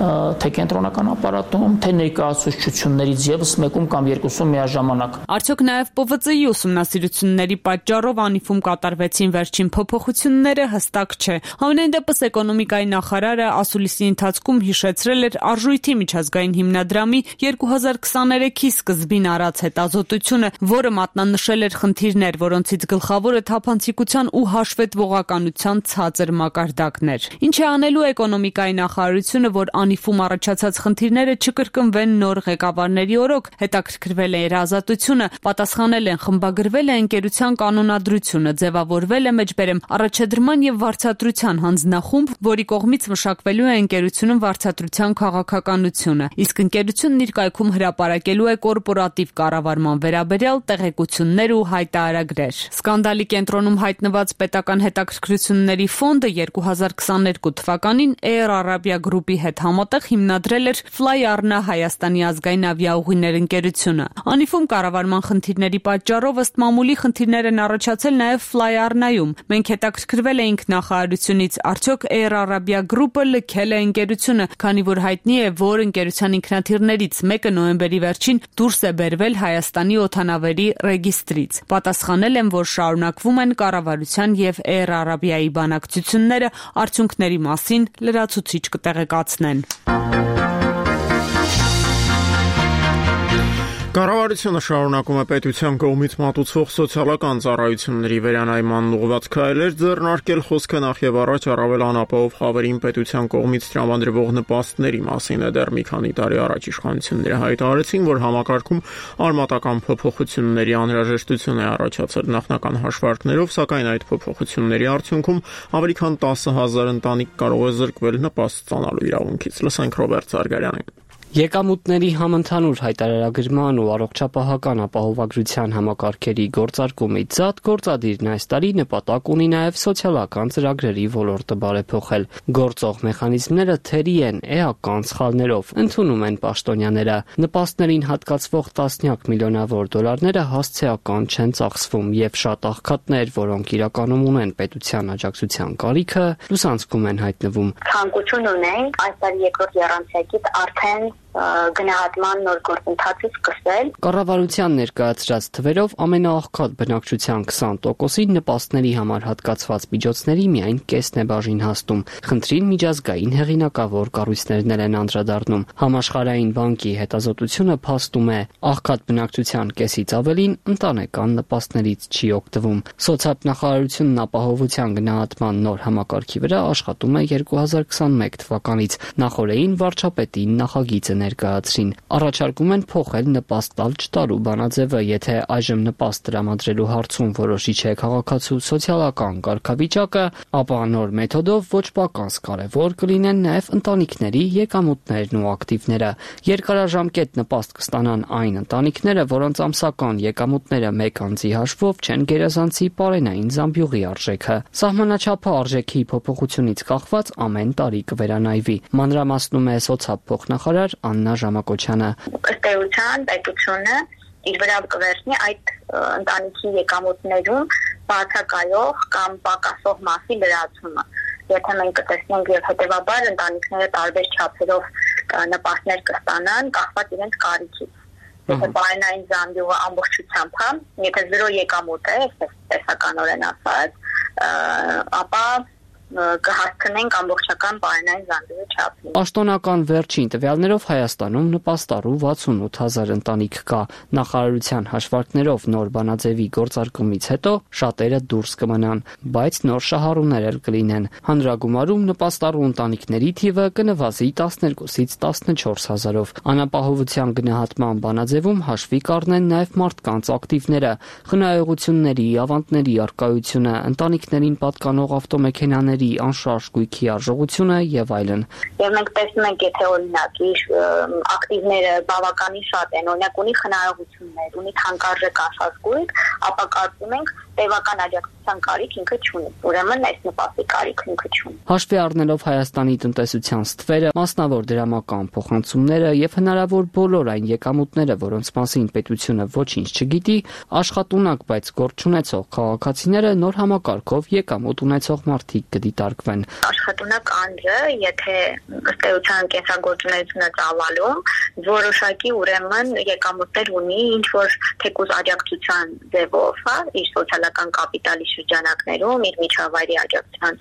թե կենտրոնական ապարատում, թե ներկայացուցչություններից եւս մեկում կամ երկուսում միաժամանակ։ Արդյոք նաև ՊՎԾ-ի ուսումնասիրությունների պատճառով Անիֆում կատարվեցին վերջին փոփոխությունները հստակ չէ։ Համենայն դեպս էկոնոմիկայի նախարարը ասուլիսի ընթացքում հիշեցրել էր արժույթի միջազգային հիմնադրամի 2023-ի սկզբին արած հետազոտությունը, որը մատնանշել էր խնդիրներ, որոնցից գլխավորը թափանցիկության ու հաշվետվողականության ցածր մակարդակներ։ Ինչ է անելու էկոնոմիկայի նախարարությունը, որ Անիֆում առաջացած խնդիրները չկրկնվեն նոր ղեկավարների օրոք, հետաքրքրվել է երազատությունը, պատասխանել են, խմբագրվել է ընկերության կանոնադրությունը, ձևավորվել է մեջբերեմ առաջադրման եւ վարձատրության հանձնախումբ, որի կողմից մշակվելու է ընկերությունում վարձատրության քաղաքականությունը, իսկ ընկերությունն իր կայքում հրապարակելու է կորպորատիվ կառավարման վերաբերյալ տեղեկություններ ու հայտարարագրեր։ Սկանդալի կենտրոնում հայտնված պետական հետաքրքրությունների ֆոնդը 2022 թվականին Air Arabia Group-ի հետ համատեղ հիմնադրել էր Fly Arna Հայաստանի ազգային ավիաուղիներ ընկերությունը։ Անիֆում կառավարման խնդիրների պատճառով ըստ մամուլի խնդիրներ են առաջացել նաև Fly Arna-ում։ Մենք հետաքրքրվել էինք նախարարությունից, արդյոք Air Arabia Group-ը լքել է ընկերությունը, քանի որ հայտնի է, որ ընկերության ինքնաթիռներից մեկը նոյեմբերի վերջին դուրս է բերվել Հայաստանի օդանավերի ռեգիստրից։ Պատասխանել են, որ շարունակվում են կառավարության եւ Air Arabia-ի բանակցությունները, արդյունքների մասին լրացուցիչ կտեղեկացնեն։ Կառավարությունը շարունակում է պետության կողմից մատուցվող սոցիալական ծառայությունների վերանայման ուղղված քայլեր ձեռնարկել, խոսքը նախ եւ առաջ առավել անապահով խավերին պետության կողմից տրամադրվող նպաստների մասին է։ Դեռ մի քանի տարի առաջ իշխանությունները հայտարարեցին, որ համակարգում արմատական փոփոխությունների անհրաժեշտություն է առաջացել նախնական հաշվարկներով, սակայն այդ փոփոխությունների արդյունքում ավելի քան 10,000 ընտանիք կարող է զրկվել նպաստ ստանալու իրավունքից։ Լսենք Ռոբերտ Զարգարյանին։ Եկամուտների համընդհանուր հայտարարագրման ու առողջապահական ապահովագրության համակարգերի գործարկումից զատ գործադիրն այս տարի նպատակ ունի նաև սոցիալական ծրագրերի ոլորտը բարեփոխել։ Գործող մեխանիզմները թերի են էական սխալներով, ընդունում են պաշտոնյաները։ Նպաստներին հատկացվող տասնյակ միլիոնավոր դոլարները հասցեական չեն ծախսվում եւ շատ աղքատներ, որոնք իրականում ունեն պետության աջակցության կարիքը, լուսանցքում են հայտնվում։ Ցանկություն ունենք այս տարի երկրորդ եռամսյակից արդեն գնահատման նոր գործընթացը սկսել։ Կառավարության ներկայացրած թվերով ամենաաղքատ բնակչության 20%-ին նպաստների համար հատկացված միջոցների միայն կեսն է բաժին հասնում։ Խնդրին միջազգային հեղինակավոր կառույցներն են անդրադառնում։ Համաշխարհային բանկի հետազոտությունը փաստում է, աղքատ բնակչության կեսից ավելին ընտանեկան նպաստներից չի օգտվում։ Սոցիալնախարարությունն ապահովության գնահատման նոր համակարգի վրա աշխատում է 2021 թվականից։ Նախորդին վարչապետին նախագիծը ներկայացրին։ Առաջարկում են փոխել նպաստ տալ չտալու բանաձևը, եթե այժմ նպաստ տրամադրելու հարցում որոշիչ է քաղաքացու սոցիալական կարգավիճակը, ապա նոր մեթոդով ոչ պակաս կարևոր կլինեն նաև ընտանիքների եկամուտներն ու ակտիվները։ Երկարաժամկետ նպաստ կստանան այն ընտանիքները, որոնց ամսական եկամուտները մեկ անձի հաշվով չեն գերազանցի պարենային զամբյուղի արժեքը։ Սահմանաչափը արժեքի փոփոխությունից կախված ամեն տարի կվերանայվի։ Մանրամասնում է սոցիալ-փոխնախարար Աննա Ժամակոչյանը։ Ըստ էության պետությունը իր վրա կվերցնի այդ ընտանիքի եկամուտներում բացակայող կամ պակասող մասի լրացումը։ Եթե մենք կտեսնենք եւ հետեւաբար ընտանիքները տարբեր չափերով նպաստներ կստանան, կախված իրենց կարիքից։ Եթե պարենային զամբյուղը ամբողջությամբ, եթե 0 եկամուտ է, տեսականորեն ասած, ապա կհասցնենք ամբողջական պարենային զանգվածի չափին։ Պաշտոնական վերջին տվյալներով Հայաստանում նպաստառու 68000 ընտանիք կա։ Նախարարության հաշվարկներով նոր բանաձևի գործարկումից հետո շատերը դուրս կմնան, բայց նոր շահառուներ էլ կլինեն։ Հանրագումարում նպաստառու ընտանիքների թիվը կնվազի 12-ից 14000-ով։ Անապահովության գնահատման բանաձևում հաշվի կառնեն նաև մարդկանց ակտիվները, խնայողությունների, ավանդների առկայությունը, ընտանիքներին պատկանող ավտոմեքենաների անշարժ գույքի արժողությունը եւ այլն։ Եվ մենք տեսնում ենք, եթե օրինակ ակտիվները բավականին շատ են, օրինակ ունի խնայողություններ, ունի թանկարժեք անշարժ գույք, ապա կարծում ենք տևական աջակցության կարիք ինքը չունի։ Ուրեմն այս նպաստի կարիք ինքը չունի։ Հաշվի առնելով Հայաստանի տնտեսության ստվերը, մասնավոր դրամական փոխանցումները եւ հնարավոր բոլոր այն եկամուտները, որոնց մասին պետությունը ոչինչ չգիտի, աշխատունակ, բայց գործ չունեցող քաղաքացիները նոր համակարգով եկամուտ ունեցող մարդիկ կդիտարկվեն։ Աշխատունակ անձը, եթե ըստ էության կենսագործունեությունը ծավալում, որոշակի ուրեմն եկամուտներ ունի, ինչ որ թեկուզ աջակցության ձևով, իր սոցիալական կապիտալի շրջանակներում, իր միջավայրի աջակցության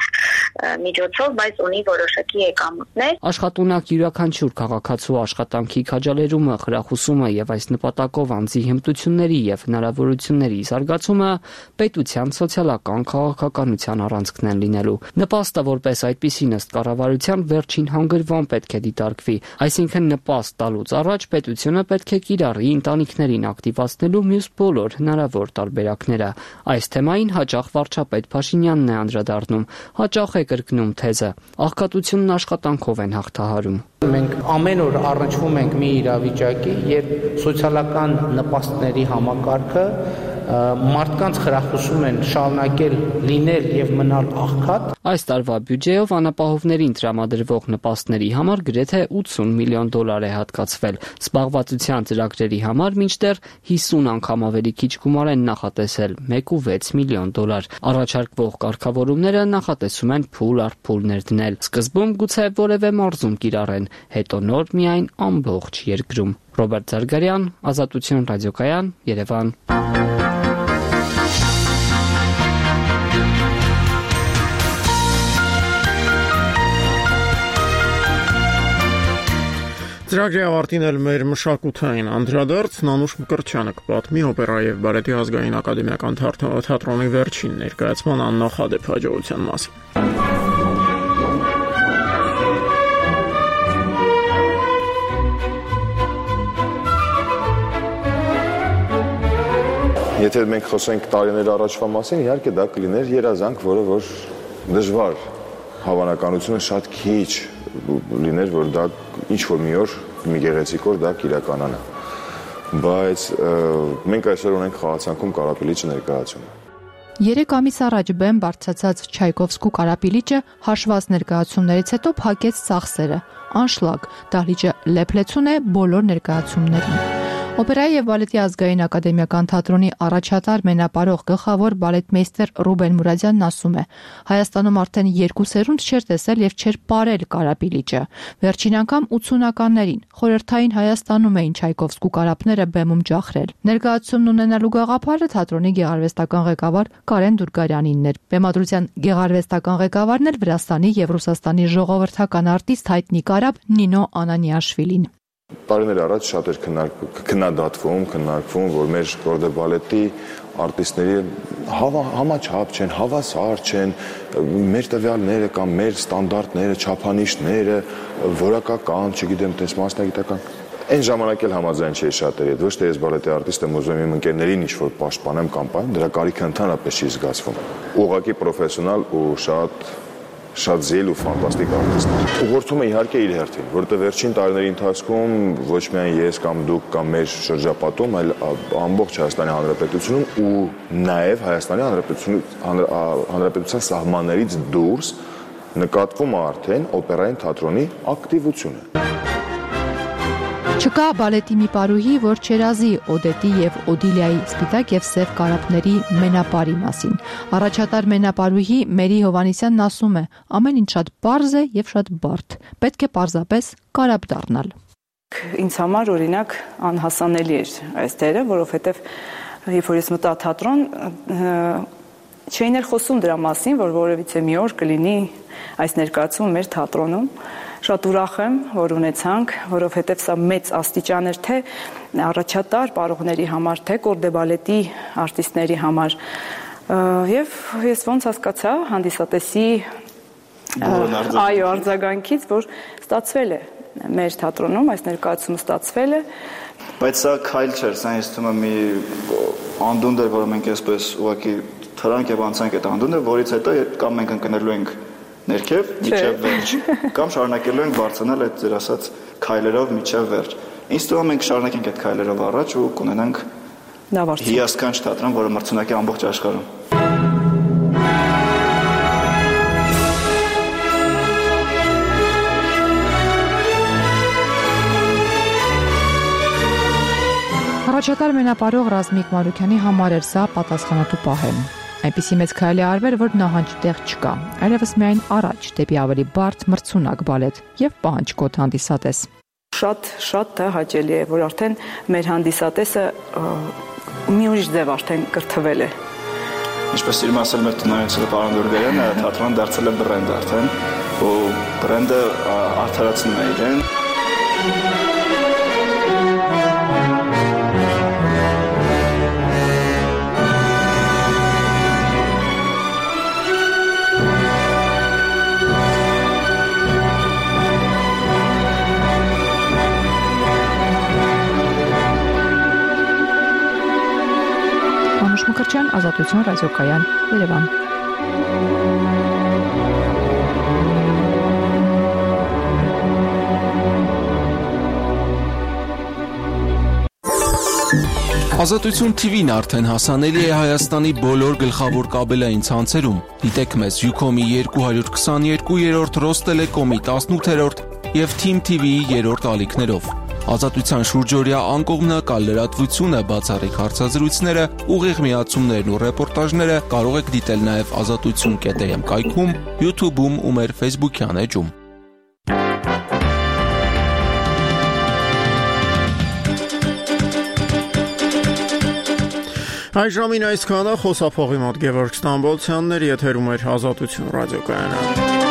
միջոցով, բայց ունի որոշակի եկամուտներ։ Աշխատունակ յուրաքանչյուր քաղաքացու աշխատանքի քաջալերումը, խրախուսումը եւ այս նպատակով անձի հմտությունների եւ հնարավորությունների զարգացումը պետության սոցիալական քաղաքականության առանցքն են լինելու։ Նպաստը որպես այդպիսին ըստ կառավարության վերջին հանգրվան պետք է դիտարկվի, այսինքն նպաստ տալուց առաջ պետությունը պետք է կիրառի ընտանիքներին ակտիվացնելու մյուս բոլոր հնարավոր տարբերակները։ Այս թեմային հաճախ վարչապետ Փաշինյանն է անդրադառնում, հաճախ է կրկնում թեզը. աղքատությունն աշխատանքով են հաղթահարում։ Մենք ամեն օր առնչվում ենք մի իրավիճակի, երբ սոցիալական նպաստների համակարգը մարդկանց խրախուսում են շարունակել լինել եւ մնալ աղքատ։ Այս տարվա բյուջեով անապահովներին տրամադրվող նպաստների համար գրեթե 80 միլիոն դոլար է հատկացվել։ Զբաղվածության ծրագրերի համար մինչդեռ 50 անգամ ավելի քիչ գումար են նախատեսել՝ 1.6 միլիոն դոլար։ Առաջարկվող կարգավորումները նախատեսում են փուլ առ փուլ ներդնել։ Սկզբում գուցե որևէ մարզում կիրառեն, հետո նոր միայն ամբողջ երկրում։ Ռոբերտ Զարգարյան, Ազատություն ռադիոկայան, Երևան։ Ծրագրի ավարտին էլ մեր մշակութային անդրադարձ Նանուշ Մկրտչյանը կպատմի օպերա եւ բալետի ազգային ակադեմիական թատրոնի վերջին ներկայացման աննախադեպ հաջողության մասին։ Եթե մենք խոսենք տարիներ առաջվա մասին, իհարկե դա կլիներ երազանք, որը որ դժվար, հավանականությունը շատ քիչ լիներ, որ դա ինչ-որ մի օր, մի գեղեցիկ օր դա կիրականանա։ Բայց մենք այսօր ունենք խաղացանքում Կարապիլիչը ներկայացումը։ 3 ամիս առաջ բեմ բարձրացած Չայկովսկու Կարապիլիչը հաշված ներկայացումներից հետո փակեց ծախսերը։ Անշլագ, դահլիճը լեփլեցուն է բոլոր ներկայացումներին։ Օպերայի եւ բալետի ազգային ակադեմիական թատրոնի առաջատար մենապարող գլխավոր բալետմեյստեր Ռուբեն Մուրադյանն ասում է. Հայաստանում արդեն 2 սերունդ չէր տեսել եւ չէր ապրել Կարապիլիչը։ Վերջին անգամ 80-ականներին խորհրդային Հայաստանում էին Չայկովսկու կարապները բեմում ջախրել։ Ներկայացումն ունենալու գաղափարը թատրոնի գեղարվեստական ղեկավար Կարեն Դուրգարյանինն էր։ Բեմադրության գեղարվեստական ղեկավարն էլ Վրաստանի եւ Ռուսաստանի ժողովրդական արտիստ հայտնի կարապ Նինո Անանիաշվիլին։ Տարիներ առաջ շատ էր քննադատվում, որ մեր Կորդե բալետի արտիստների համաչափ չեն, հավասար չեն, մեր տվյալները կամ մեր ստանդարտները, չափանիշները, որակական, չգիտեմ, տես մասնագիտական։ Այն ժամանակ էլ համաձայն չէի շատերի հետ, ոչ թե ես բալետի արտիստ եմ ուզում իմ ընկերներին ինչ-որ պաշտպանեմ կամ պահեմ, դրա կարիքը ընդհանրապես չի զգացվում։ Ուղղակի պրոֆեսիոնալ ու շատ զիլ ու ֆանտաստիկ արտիստներ։ Ուղղորդում է իհարկե իր հերթին, որովհետև վերջին տարիների ընթացքում ոչ միայն ես կամ դուք կամ մեր շրջապատում, այլ ամբողջ Հայաստանի Հանրապետությունում ու նաև Հայաստանի Հանրապետության սահմաններից դուրս նկատվում է արդեն օպերային թատրոնի ակտիվությունը։ Չկա բալետի մի պարուհի, որ չերազի Օդետի եւ Օդիլիայի սպիտակ եւ սև կարապների մենապարի մասին։ Առաջատար մենապարուհի Մերի Հովանեսյանն ասում է. ամեն ինչ շատ պարզ է եւ շատ բարդ։ Պետք է պարզապես կարապ դառնալ։ Ինձ համար օրինակ անհասանելի էր այս դերը, որովհետեւ երբ որ ես մտա թատրոն, Չէին էլ խոսում դրա մասին, որ որևիցե մի օր կլինի այս ներկայացումը մեր թատրոնում։ Շատ ուրախ եմ, որ ունեցանք, որովհետև սա մեծ աստիճան էր թե առաջատար պարողների համար, թե կորդեբալետի արտիստների համար։ Եվ ես ոնց հասկացա հանդիսատեսի արձագանքից, որ ստացվել է մեր թատրոնում, այս ներկայացումը ստացվել է։ Բայց սա քայլ չէր, սա ինձ թվում է մի անդունդ էր, որը մենք այսպես ուղղակի թրանք եւ անցանք այդ անդունդը, որից հետո կամ մենք ընկնելու ենք ներքև, միջև վերջ, կամ շարունակելու ենք բարձրանալ այդ ձեր ասած քայլերով միջև վերջ։ Ինձ թվում է մենք շարունակենք այդ քայլերով առաջ ու կունենանք հիասքանչ թատրոն, որը մրցունակ է ամբողջ աշխարհում։ Առաջատար մենապարող Ռազմիկ Մարուքյանի համար էր սա պատասխանատու պահ։ Այնպիսի մեծ քայլի արվեր, որ նահանջ տեղ չկա, այլևս միայն առաջ դեպի ավելի բարդ մրցունակ բալետ եւ պահանջկոտ հանդիսատես։ Շատ հաճելի է, որ արդեն մեր հանդիսատեսը մի ուրիշ ձև արդեն կրթվել է։ Ինչպես իրում ասել մեր տնօրենը պարոն Գուրգենյանը, թատրոնը դարձել է բրենդ արդեն, ու բրենդը արդարացնում է իրեն։ Մկրտչյան, Ազատություն ռադիոկայան, Երևան։ Ազատություն TV-ն արդեն հասանելի է Հայաստանի բոլոր գլխավոր կաբելային ցանցերում։ Դիտեք մեզ Ucom-ի 222-րդ, Ռոստելեկոմի 18-րդ եւ Team TV-ի 3-րդ ալիքներով։ Ազատության շուրջօրյա անկողմնակալ լրատվությունը, բացառիկ հարցազրույցները, ուղիղ միացումներն ու ռեպորտաժները կարող եք դիտել նաև azatutsun.am կայքում, YouTube-ում ու մեր Facebook-յան էջում։ Այժմին այսքանը, խոսափողի մոտ Գևորգ Ստամբոլցյանն էր, եթերում էր Ազատություն ռադիոկայանը։